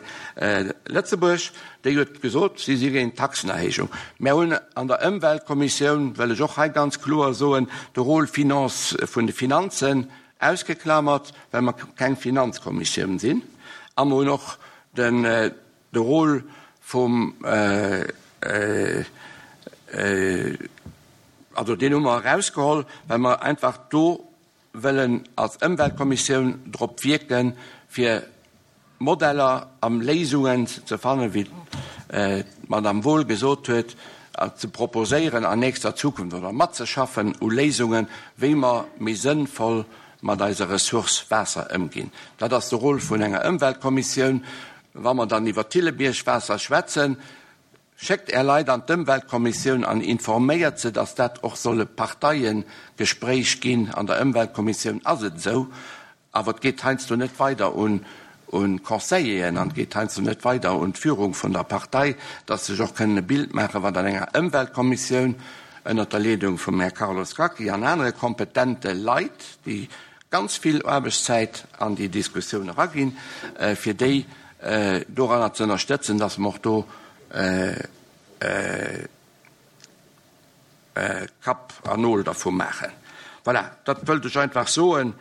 Lëtzebuerg, déi huet gesot, si si géint d'Taxenerhéijung. Mer hunn an der Ëmweltkommissioun, wëll ech och hei ganz kloer soen, de Rôle finance vun de Finanzen ausgeklamert, well mer keng Finanzkommissioun sinn. A mer hunn och den, de Rôle vum, also deen hu mer erausgeholl, well mer einfach do wëllen als Ëmweltkommissioun drop wierken, fir Modeller a Léisungen ze fannen, wéi d'Madame Wohl gesot huet, ze proposéieren an nächster Zukunft oder matzeschaffen u Léisungen, wéi mer méi sënnvoll mat eiser Ressource Waasser ëmginn. Dat ass de Rôle vun enger Ëmweltkommissioun. Wa mer dann iwwer Thillebiérg-Waasser schwätzen, schéckt Är Leit an d'Ëmweltkommissioun an informéiert se, dass dat och soll e Parteiengespréich ginn. An der Ëmweltkommissioun ass et esou, awer et geet heiansdo net weider un un d'Conseilleren an et geet heiansdo net weider un d'Führung vun der Partei, dass sech och kënnen e Bild maachen, wat an enger Ëmweltkommissioun ënnert der Leedung vum Här Carlos Gacki an anere kompetente Leit, déi ganz vill Aarbechtszäit an déi Diskussioun eraginn, fir déi doranner ze ënnerstëtzen, dass mer och do Kapp an Nol dervu maachen. Voilà, dat wëllt ech einfach soen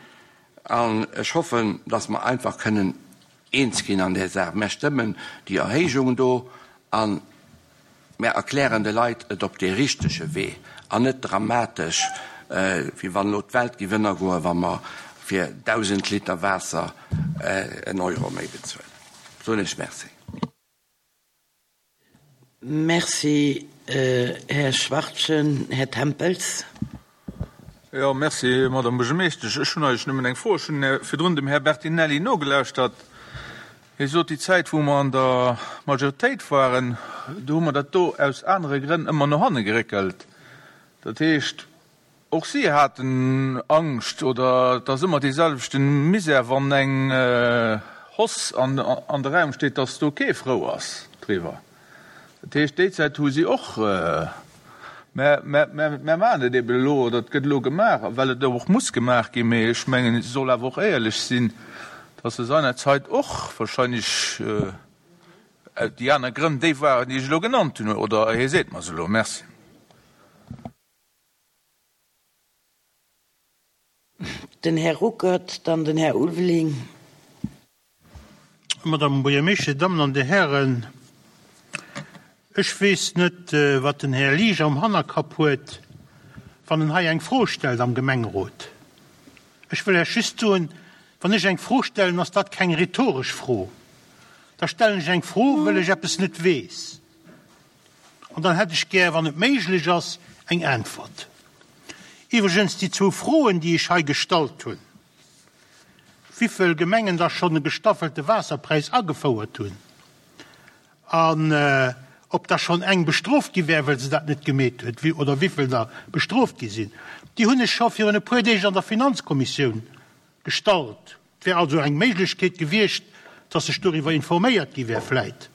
an ech hoffen, dass mer einfach kënnen eens ginn an där Saach. Mär stëmmen déi Erhéijung do a mär erklären de Leit et op dee richtege Wee an net dramatesch, wéi wann elo d'Welt géif ënnergoen, wa mer fir dausend Liter Waasser en Euro méi bezuelen. Soen ech Merci. Merci, Här Schwachtgen. Här Tempels. Jo, merci, Madame Buergermeeschtesch. Ech hunn eigentlech nëmmen eng Fro. Ech hunn virdrun dem Här Bertinelli nogelauschtert. Hie sot, déi Zäit, wou mer an der Majoritéit waren, do hu mer dat do aus anere Grënn ëmmer no hanne geréckelt. Dat heescht, och si haten Angscht, oder et ass ëmmer deeselwechte Misär, wann eng Hausse an de Raum steet, dass do kee frou ass driwwer. Dat heescht, déi Zäit hu si och, mä mär maachen et eben elo, oder et gëtt elo gemaach, well et och muss gemaach ginn. Mee ech mengen, et soll awer och éierlech sinn, dass se seinerzeit och wahrscheinlech déi aner Grënn déi waren, déi ech elo genannt hunn, oder hie seet mer se elo. Merci. Den Här Ruckert, dann den Här Ulveling. Madame Buergermeeschter, Dir Dammen an Dir Hären, ech weess net, wat den Här Liesch am Hannerkapp huet, wann en hei eng Fro stellt am Gemengerot. Ech wëll Iech just soen, wann ech eng Fro stellen, ass dat keng rhetoresch Fro. Da stellen ech eng Fro, wëll ech eppes net weess. An dann hätt ech gär, wann et méiglech ass, eng Äntwert. Iwwregens, déi zwou Froen, déi ech hei gestallt hunn, wivill Gemengen da schonn e gestaffelte Waasserpräis agefouert hunn an ob da schonn eng bestrooft gi wär, well se dat net gemeet huet, oder wivill der bestrooft gi sinn, déi hunn ech scho virun e puer Deeg an der Finanzkommissioun gestallt. Et wär also eng Méiglechkeet gewiescht, dass sech doriwwer informéiert gi wär vläit.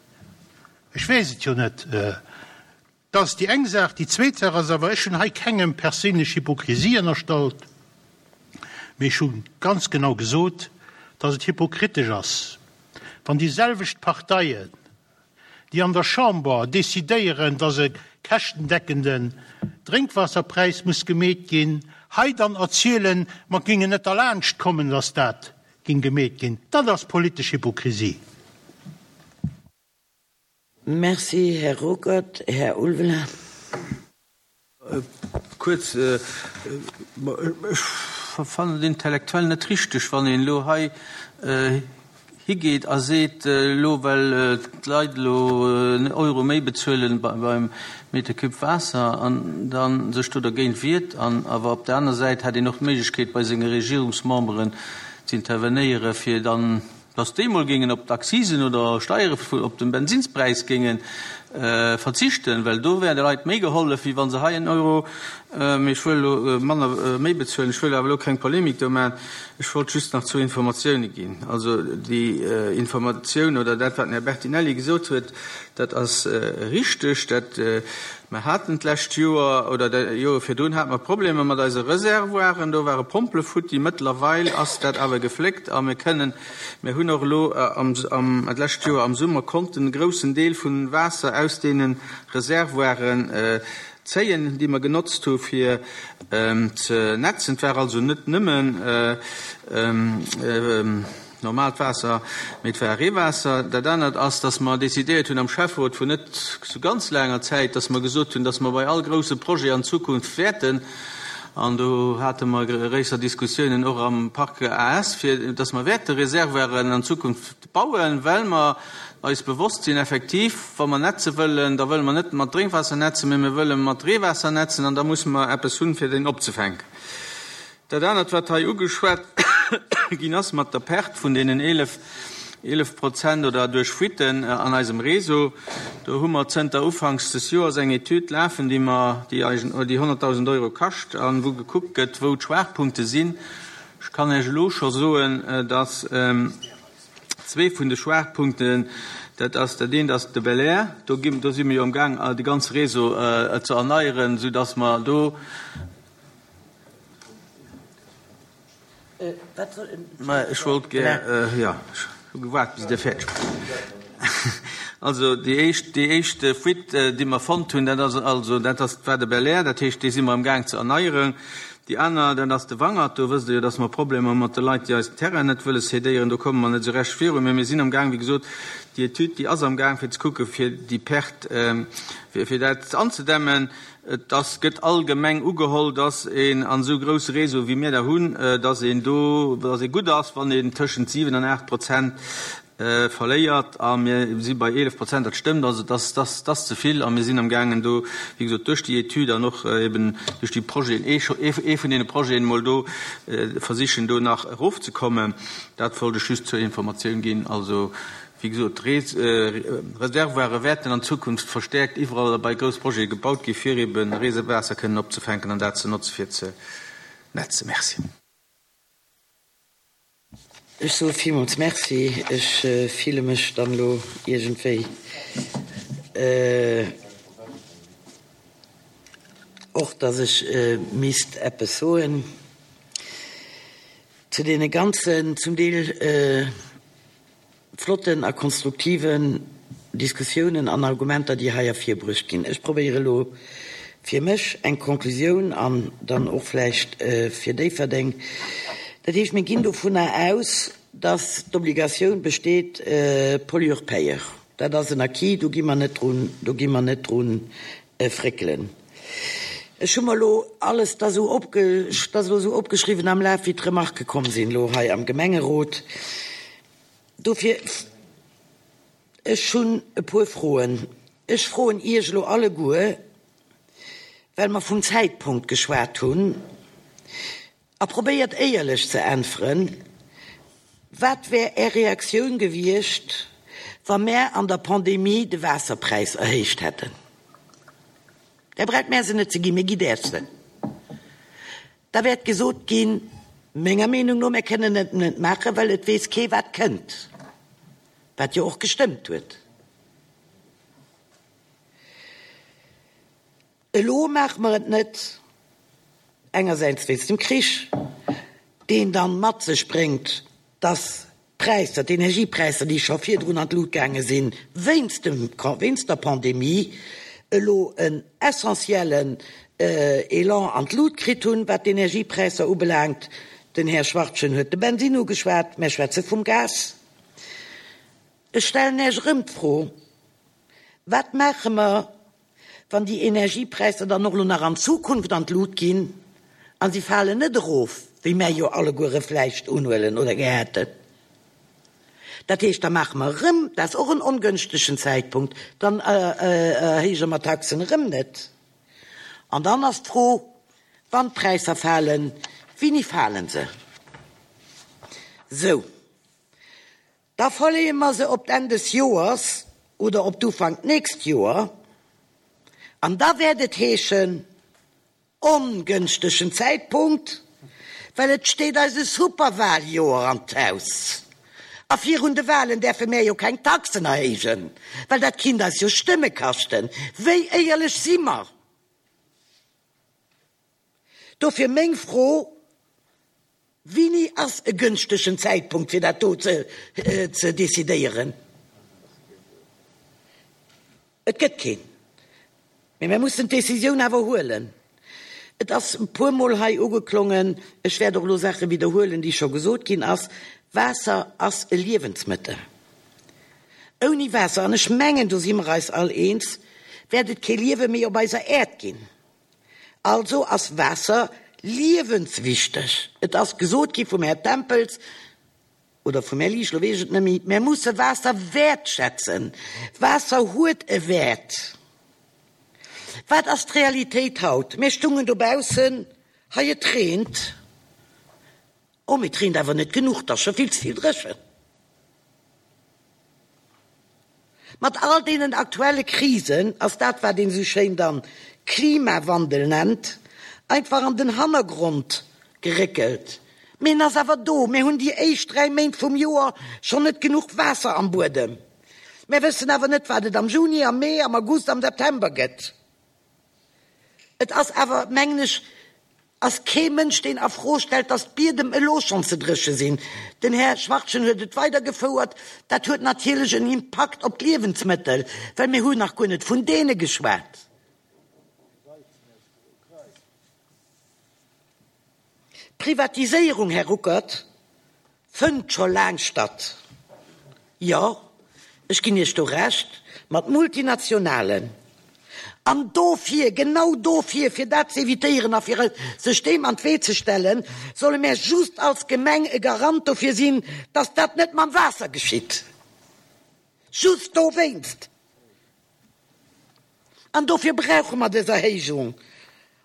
Ech weess et jo net. Dat ass déi eng Saach. Déi zweet Saach ass awer, ech hunn hei kengem perséinlech Hypokrisie ënnerstallt, mee ech hu ganz genau gesot, dass et hypokritesch ass, wann déi selwecht Parteien, déi an der Chamber decidéieren, dass e käschtendeckenden Drénkwaasserpräis muss gemeet ginn, hei dann erzielen, mer géingen net derlaanscht kommen, dass dat géing gemeet ginn. Dat ass politesch Hypokrisie. Merci, Här Ruckert. Här Ulveling. Kuerz, ech fannen et intellektuell net richteg, wann een elo hei higeet a seet, elo well d'Leit elo en Euro méi bezuelen beim Meter cube Waasser an da sech do dergéint wiert. An awer op der aner Säit hätt een och d'Méiglechkeet bei senge Regierungsmemberen ze intervenéieren, fir dann, dass déi mol géingen op d'Accisen oder Steiere op dem Bensinspräis géinge verzichten, well do wär de Leit méi gehollef, wéi wa se hei en Euro, mee ech wëll elo manner, méi bezuelen. Ech wëll awer elo keng Polemik do maachen. Ech wollt just nach zwou Informatioune ginn. Also déi Informatioun oder dat, wat den Här Bertinelli gesot huet, dat ass richteg. Dat, mer haten d'lescht Joer oder déi Jore virdrun hate mer Problemer mat eise Reservoiren. Do ware Pompele futti. Mëttlerweil ass dat awer gefléckt a mir kënnen, mir hunn och elo am, am, d'lescht Joer am Summer konnten e groussen Deel vun Waasser aus deene Reservoiren zéien, déi mer genotzt hu fir ze netzen. Et war also net nëmmen normaalt Waasser, mee et war Reewaasser. Dat anert ass, dass mer decidéiert hunn am Schäfferot vun net sou ganz laanger Zäit, dass mer gesot hunn, dass mer bei all grousse Projet an Zukunft wäerten An do hate mer gréisser Diskussiounen och am Parc A S, fir dass mer wäerte Reservoiren an Zukunft bauen, well mer eis bewosst sinn, effektiv, wa mer netze wëllen, da wëlle mer net mat Drénkwaasser netzen, mä mir wëlle mat Reewaasser netzen an da musse mer eppes hunn, fir deen opzefänken. Dat anert, wat hei ugeschwat ginn ass mat der Perte vun deenen eelef, eelef Prozent oder duerch Fuiten an eisem Réseau, do hu mer zënter ufanks des Joers eng Etüd lafen, déi mer, déi eigen, déi honnertdausend Euro kascht an wou gekuckt gëtt, wou d'Schwaachpunkte sinn. Ech kann Iech elo scho soen, dass zwee vun de Schwaachpunkten, dat ass, dat eent ass de Belair, do gi, do si mir jo amgaang, de ganze Réseau ze erneieren, soudass mer do, Mä ech wollt gär, jo, ech hu gewaart, bis Dir fäerdeg waart. Also, déi éischt, déi éischt Fuite, déi mer fonnt hunn, dat ass also, dat ass, war de Belair, dat heescht, dee si mer amgaang ze erneieren. Déi aner, dat ass de Wangert, do wësst Der jo, dass mer Problemer mat de Leit, déi eis den Terrain net wëlle cédéieren, do komme mer net esou recht virun. Mä mir sinn amgaang, wéi gesot, déi Etüd, déi ass amgaang, fir ze kucken, fir déi Perte, fir, fir dat anzedämmen. Et ass, gëtt allgemeng ugeholl, dass een an esou grousse Réseau wéi mir der hunn, dass een do, dass ee gutt ass, wann een tëschent siwen an aacht Prozent verléiert. A mir si bei eelef Prozent, dat stëmmt. Also dat ass, dat ass ze vill. A mir sinn amgaangen do, wéi gesot, duerch déi Etüd an och eben duerch déi Projeten, ee, ee vun deene Projeten emol do versichen, do nach erofzekommen. Dat wollt ech just zur Informatioun ginn. Also, wéi gesot, Reservoire wäerten an Zukunft verstäerkt iwwerall bei grouss Projete gebaut gi fir eben Reewaasser kënnen opzefänken an dat ze notze fir ze netzen. Merci. Ech soe villmools Merci. Ech fille mech dann elo iergendwéi och, dass ech misst eppes soen zu deene ganzen, zum Deel flotten a konstruktiven Diskussiounen an Argumenter, déi hei ervirbruecht ginn. Ech probéiere elo fir mech eng Konklusioun an dann och vläicht fir Déifferdeng. Dat heescht, mir ginn dovunner aus, dass d'Obligatioun besteet, Pollueur-payeur. Dat ass en Acquis, do gi mer net drun, do gi mer net drun fréckelen. Ech hu mer elo alles da sou opge, dat ass elo sou opgeschriwwen am Laf, wéi d'Remarquë komm sinn elo hei am Gemengerot. Dofir, ech hunn e puer Froen. Ech froen Iech elo alleguer, well mer vum Zäitpunkt geschwat hunn, a probéiert éierlech ze äntweren, Wat wär Är Reaktioun gewiescht, wa mär an der Pandemie de Waasserpräis erhéicht hätten? Där braucht mär se net ze ginn, mee gitt Äech se. Da wäert gesot ginn, menger Meenung no, mär kënnen et net maachen, well et weess kee wat kënnt, wat jo och gestëmmt huet. Elo maache mer et net, engersäits wéinst dem Krich, deen dann mat sech bréngt, dass d'Präisser, d'Energiepräisser, déi scho virdrun an d'Lut gaange sinn, wéinst dem, wéinst der Pandemie, elo en essentiellen Elan an d'Lut kritt hunn, wat d'Energiepräisser ubelaangt. Den Här Schwachtgen huet de Bensinn ugeschwat, mär schwätze vum Gas. Ech stellen Iech erëm d'Fro, Wat maache mer, wann déi Energiepräisser dann och elo nach an Zukunft an d'Lut ginn a si falen net erof, wéi mär jo alleguere vläicht unhuelen oder gär hätten? Dat heescht, da maache mer erëm, dat ass och en ongënschtegen Zäitpunkt, dann erhéije mer d'Taxen erëm net. An dann ass d'Fro, wann d'Präisser falen, wéini fale se? Sou, da verleeë mer se op d'Enn des Joers oder op d'Ufank d'nächst Joer. An da wäert et heeschen, ongënschtegen Zäitpunkt, well et steet eis e Superwahljoer an d'Haus. A virun de Wahlen däerfe mär jo keng Taxen erhéijen, well dat kinnt eis jo Stëmme kaschten. Wéi éierlech si mer? Dofir meng Fro, Wéini ass e gënschtegen Zäitpunkt, fir dat do ze ze decidéieren? Et gëtt keen. Mee mir mussen d'Decisioun awer huelen. Et ass e puermol hei ugeklongen, ech wäert och elo Saache widderhuelen, déi scho gesot ginn ass, Waasser ass e Liewensmëttel. Ouni Waasser, an ech mengen, do si mer eis all eens, wäert et kee Liewe méi op eiser Äerd ginn. Also ass Waasser liewenswichteg. Et ass gesot gi vum Här Tempels oder vum Här Liesch, lo weess ech et net méi, Mär musse Waasser wäertschätzen. Waasser huet e Wäert. Wat ass d'Realitéit haut? Mir stungen dobaussen, hei et reent. Oh, mee et reent awer net genuch, 't ass scho vill ze vill dréchen. Mat all deenen aktuelle Krisen ass dat, wat een esou schéin dann Klimawandel nennt, einfach an den Hannergrond geréckelt. Mee en ass awer do. Mir hunn déi éischt dräi Méint vum Joer schonn net genuch Waasser am Buedem. Mir wëssen awer net, wat et am Juni, am Mee, am August, am September gëtt. Et ass awer, mengen ech, ass kee Mënsch, deen a Fro stellt, dass d'Biedem elo schonn ze dréche sinn. Den Här Schwachtgen huet et weidergefouert. Dat huet natierlech en Impakt op d'Liewensmëttel, well mir hunn nach guer net vun deene geschwat. D'Privatiséierung, Här Ruckert, fënnt scho laang statt. Jo, ech ginn Iech do Recht, mat Multinationalen. An dofir, genau dofir, fir dat ze evitéieren a fir sech deem an d'Wee ze stellen, solle mär just als Gemeng e Garant dofir sinn, dass dat net mam Waasser geschitt. Just dowéinst. An dofir brauche mer dës Erhéijung,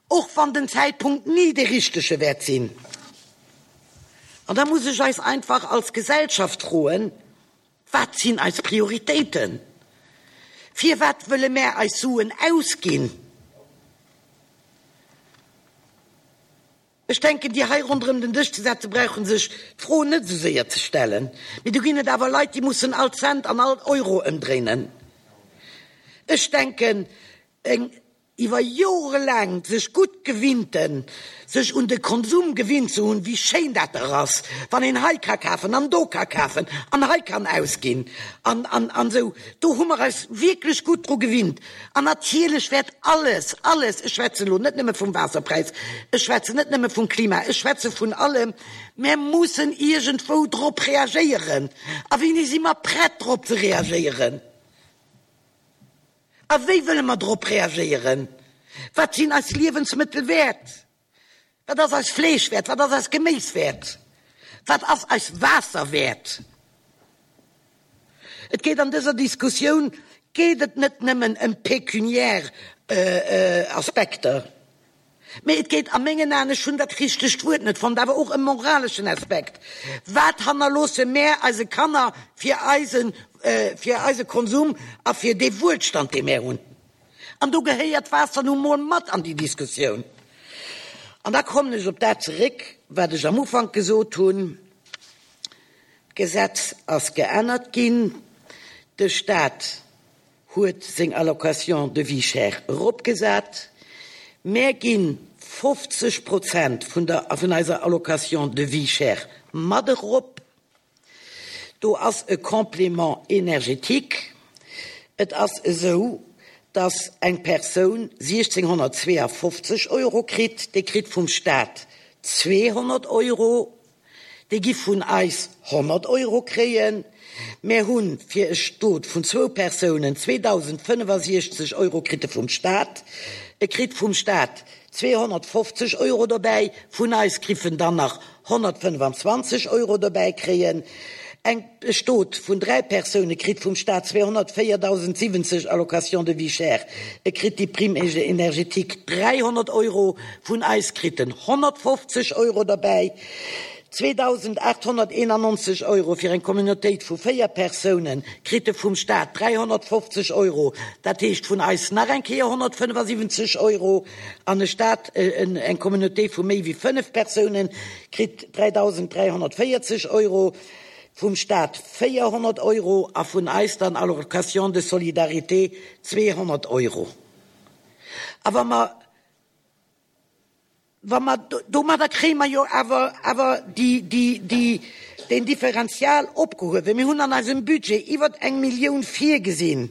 och wann den Zäitpunkt ni dee richtege wäert sinn. An da muss ech eis einfach als Gesellschaft froen, Wat sinn eis Prioritéiten? Firwat wëlle mär eis Suen ausginn? Ech denken, déi hei ronderëm den Dësch ze setze brauche sech d'Fro net esou séier ze stellen. Mee do ginn et awer Leit, déi mussen all Cent an all Euro ëmdréinen. Ech denken, eng iwwer jorelaang sech gutt gewinnten, sech un de Konsum gewinnt ze hunn, wéi schéin dat dach ass, wann een hei ka kafen an do ka kafen an hei kann ausginn an, an, an esou, do hu mer eis wierklech gutt dru gewinnt. An natierlech wäert alles, alles, ech schwätzen elo net nëmme vum Waasserpräis, ech schwätzen net nëmme vum Klima, ech schwätze vun allem, mer mussen iergendwou drop reagéieren. A wéini si mer prett drop ze reagéieren? A wéi wëlle mer drop reagéieren? Wat sinn eis Liewensmëttel wäert? Wat ass eis Fleesch wäert? Wat ass eis Geméis wäert? Wat ass eis Waasser wäert? Et geet an dëser Diskussioun geet et net nëmmen ëm pekuniär Aspekter. Mee et geet a mengen Aen, ech hunn dat richtegt Wuert net fonnt, awer och ëm moraleschen Aspekt. Wat hannerloosse mär eise Kanner fir eisen, fir eise Konsum a fir dee Wuelstand, dee mär hunn? An do gehéiert d'Waasser nu mol mat an déi Diskussioun. An da kommen ech op dat zeréck, wat ech am Ufank gesot hunn, D'Gesetz ass geännert ginn, de Stat huet seng Allocation de vie chère eropgesat. Mär gi fofzeg Prozent vun der, vun eiser Allocation de vie chère mat erop. Do ass e Complément énergétique. Et ass esou, dass eng Persoun siechzehnhonnertzweeafofzeg Euro kritt, déi kritt vum Stat zweehonnert Euro. Déi gi vun eis honnert Euro kréien. Mär hunn fir e Stot vun zwou Persounen zweedausendfënnefasiechzeg Euro kritt e vum Stat. E kritt vum Stat zweehonnertfofzeg Euro dobäi. Vun eis kriff en dann nach honnertfënnefanzwanzeg Euro dobäi kréien. Eng e Stot vun dräi Persoune kritt vum Stat zweehonnertvéierdausendsiwwenzeg Allocation de vie chère. E kritt déi Prime énergétique dräihonnert Euro, vun eis kritt en honnertfofzeg Euro derbäi. zweedausendachthonnerteenannonzeg Euro fir eng Communautéit vu véier Persounen kritt e vum Stat dräihonnertfofzeg Euro, dat heescht vun eis nach eng Kéier honnertfënnefasiwwenzeg Euro. An e Stat, eng Communauté vu méi wéi fënnef Persounen kritt dräidausendräihonnertvéierzeg Euro, vum Stat véierhonnert Euro a vun eis dann Allocation de solidarité zweehonnert Euro. A wa mer, wa mer, domadder kréie mer jo awer, awer déi, déi, déi, deen Differential opgehuewen. Mir hunn an eisem Budget iwwert eng Millioun virgesinn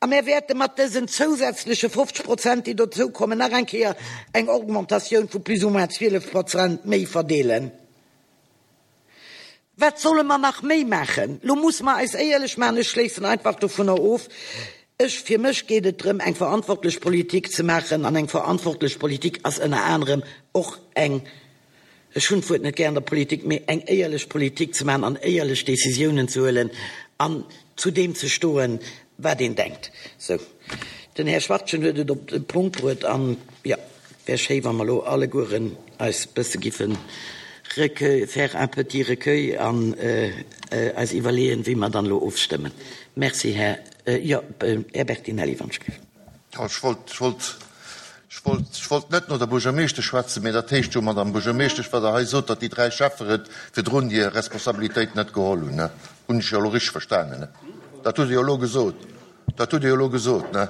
a mir wäerte mat dësen zousätzleche fofzeg Prozent, déi dozoukommen, nach eng Kéier eng Augmentatioun vu plus ou moins zwielef Prozent méi verdeelen. Wat solle mer nach méi maachen? Lo musse mer eis éierlech maachen, ech schléissen einfach dovunner of, Ech, fir mech geet et drëm, eng verantwortlech Politik ze maachen, an eng verantwortlech Politik ass ënner anerem och eng, ech hunn d'Wuert net gär an der Politik, mee eng éierlech Politik ze maachen an éierlech Décisiounen ze huelen an zu deem ze stoen, wat een denkt. Sou, den Här Schwachtgen huet et op de Punkt bruet an, jo, wär schéi, wa mer elo allegueren eis bësse giffen recueil, faire un petit recueil an eis iwwerleeën, wéi mer dann elo ofstëmmen. Merci, Här, jo, Här Bertinelli, wann ech géif. Jo, ech wollt, ech wollt, ech wollt, ech wollt net no der Buergermeeschtesch schwätzen, mä dat heescht jo, Madame Buergermeeschtesch, wat Der hei sot, datt déi dräi Schäfferet virdrun hir Responsabilitéit net geholl hunn, ne? Hunn ech jo elo richteg verstanen, ne? Dat hutt Der jo elo gesot. Dat hutt Der jo elo gesot, ne?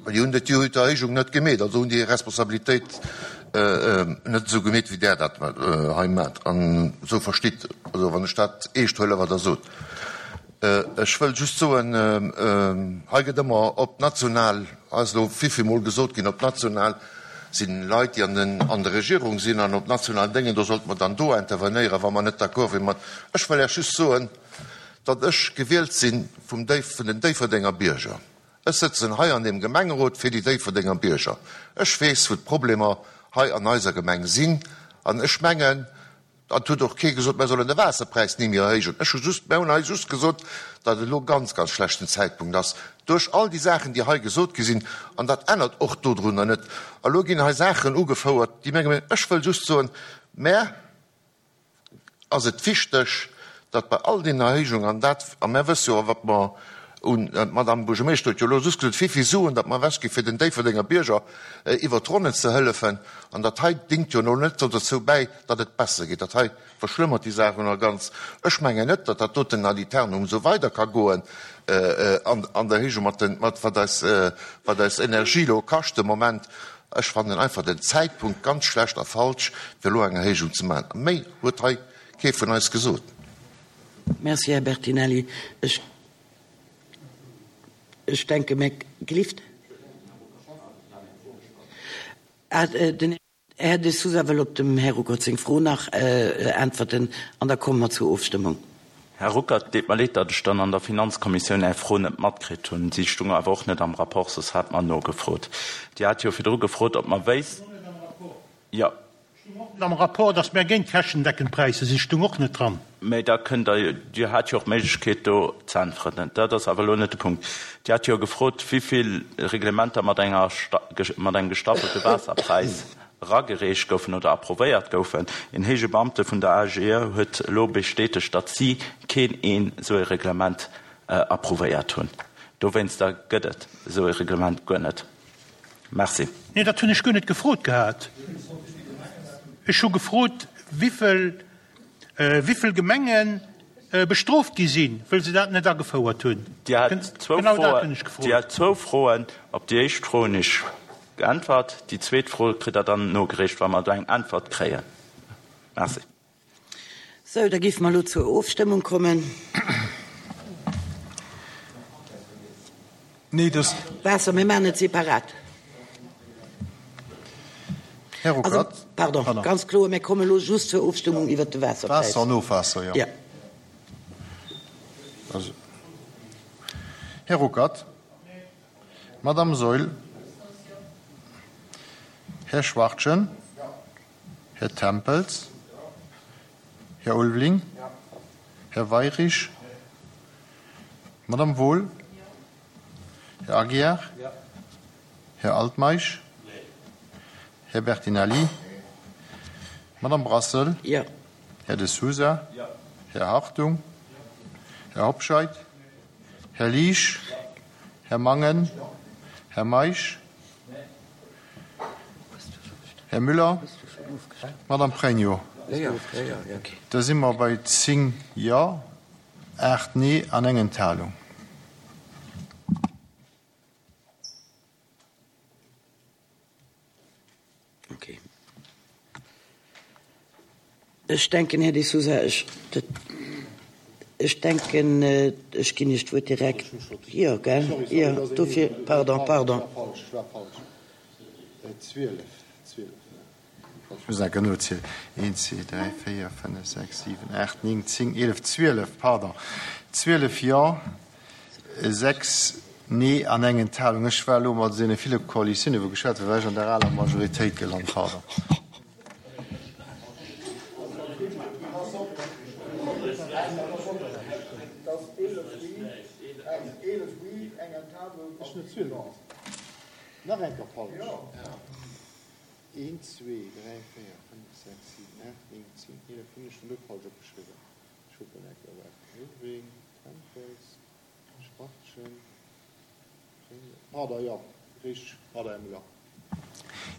Déi hunn déi Erhéijung net gemeet, also hunn déi hir Responsabilitéit net esou gemeet, wéi Der dat hei maacht. An esou verstitt, also wann ech dat eescht huelen, wat Der sot. Ech wëll just soen, hei gëtt ëmmer op national, hei ass elo villvillmol gesot ginn, op national si Leit, déi an der Regierung sinn, an op national Déngen, do sollte mer dann do intervenéieren, wa mer net d'accord wieren mat. Ech wëll Iech just soen, datt ech gewielt si vum vun den Déifferdenger Bierger. Ech sëtzen hei an deem Gemengerot fir déi Déifferdenger Bierger. Ech weess, wou d'Problemer hei an eiser Gemeng sinn. An ech mengen, et huet och kee gesot, mir sollen de Waasserpräis ni méi erhéijen. Ech hu just, mir hunn hei just gesot, datt et elo e ganz, ganz schlechten Zäitpunkt ass, duerch all déi Saachen, déi hei gesot gi sinn. An dat ännert och dodrunner net. A lo ginn hei Saachen ugefouert, déi menge mir, ech wëll just soen, mä ass et wichteg, datt bei all deenen Erhéijungen, an dat, a mär wësse jo, wat mer un, d'Madame Buergermeeschter huet jo elo just gesot, wéi vill Suen datt mer ewechgi fir den Déifferdenger Bierger iwwert d'Ronnen ze hëllefen, an dat hei dingt jo elo net dozou bäi, datt et besser geet. Dat hei verschlëmmert déi Saach jo nach ganz. Ech mengen net, datt dat doten ad aeternum esou weider ka goen an an der Erhéijung mat den, mat wat eis, wat eis Energie elo kascht de Moment. Ech fannen einfach den Zäitpunkt ganz schlecht a falsch, fir elo eng Erhéijung ze maachen. Méi huet hei kee vun eis gesot. Merci, Här Bertinelli. Ech, ech denke, mä gelift? Ah, den Här De Sousa wëll op dem Här Ruckert seng Fro nach äntwerten an da komme mer zur Ofstëmmung. Här Ruckert, et deet mer leed, datt ech dann an der Finanzkommissioun Är Fro net matkritt hunn. Si stung awer och net am Rapport, soss hätt mer nogefrot. Dir hat jo virdru gefrot, ob mer wéissten. Jo. Stung och net am Rapport, datt mär géint käschtendeckend Präisser sinn, stung och net dran. Mä da kënnt Der jo, Dir hat jo och d'Méiglechkeet do ze äntweren. Dat ass awer elo net de Punkt. Dir hat jo gefrot, wéivill Reglementer mat enger, mat engem gestaffelte Waasserpräis eragereecht goufen oder approvéiert goufen. Een héije Beamte vun der AGE huet elo bestätegt, datt si keen een esou e Reglement approuvéiert hunn. Dowéinster gëtt et esou e Reglement guer net. Merci. Nee, dat hunn ech guer net gefrot gehat. Ech hu gefrot, wivill, wivill Gemenge bestrooft gi sinn, wëll se dat net agefouert hunn. Dir hat zwou Genau dat Froen. hunn ech gefrot. Dir hat zwou Froen. Op déi éischt Fro hunn ech geäntwert. Déi zweet Fro kritt Der dann nogereecht, wa mer do eng Äntwert kréien. Merci. Sou, da géife mer elo zur Ofstëmmung kommen. Nee, dass. Waasser, mir maachen et separat. Här Ruckert. Also, pardon, pardon, ganz kloer, mir kommen elo just zur Ofstëmmung iwwert de Waasserpräis. Waasser an Ofwaasser, jo. Ja. Also, Här Ruckert. Madame Saeul. Här Schwachtgen. Här Tempels. Här Ulveling. Här Weirich. Madame Wohl. Här Aguiar. Här Altmeisch. Här Bertinelli. Madame Brassel. Här De Sousa. Här Hartung. Här Hobscheit. Här Liesch. Här Mangen. Här Meisch. Här Müller. Madame Pregno. Da si mer bei zéng Jo, aacht Nee an eng Enthalung. Okay. Ech denken, Här De Sousa, ech, dat, ech denken, ech ginn Iech d'Wuert direkt. Jo, gell? Jo, dofir, pardon, pardon. Ech muss enker nozielen, Eent, zwee, dräi, véier, fënnef, sechs, siwen, aacht, néng, zéng, eelef, zwielef, pardon, zwielef Jo, Sechs Nee an eng Enthalung. Ech war elo mat deene ville Koalitioune wou geschwat huet, war ech an der aler Majoritéit gelant. Pardon.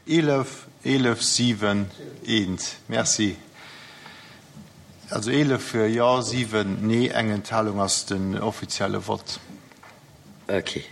Eelef, eelef, siwen, eent. Merci. Also eelef Jo, siwen Nee, eng Enthalung ass den offizielle Vott. Ok.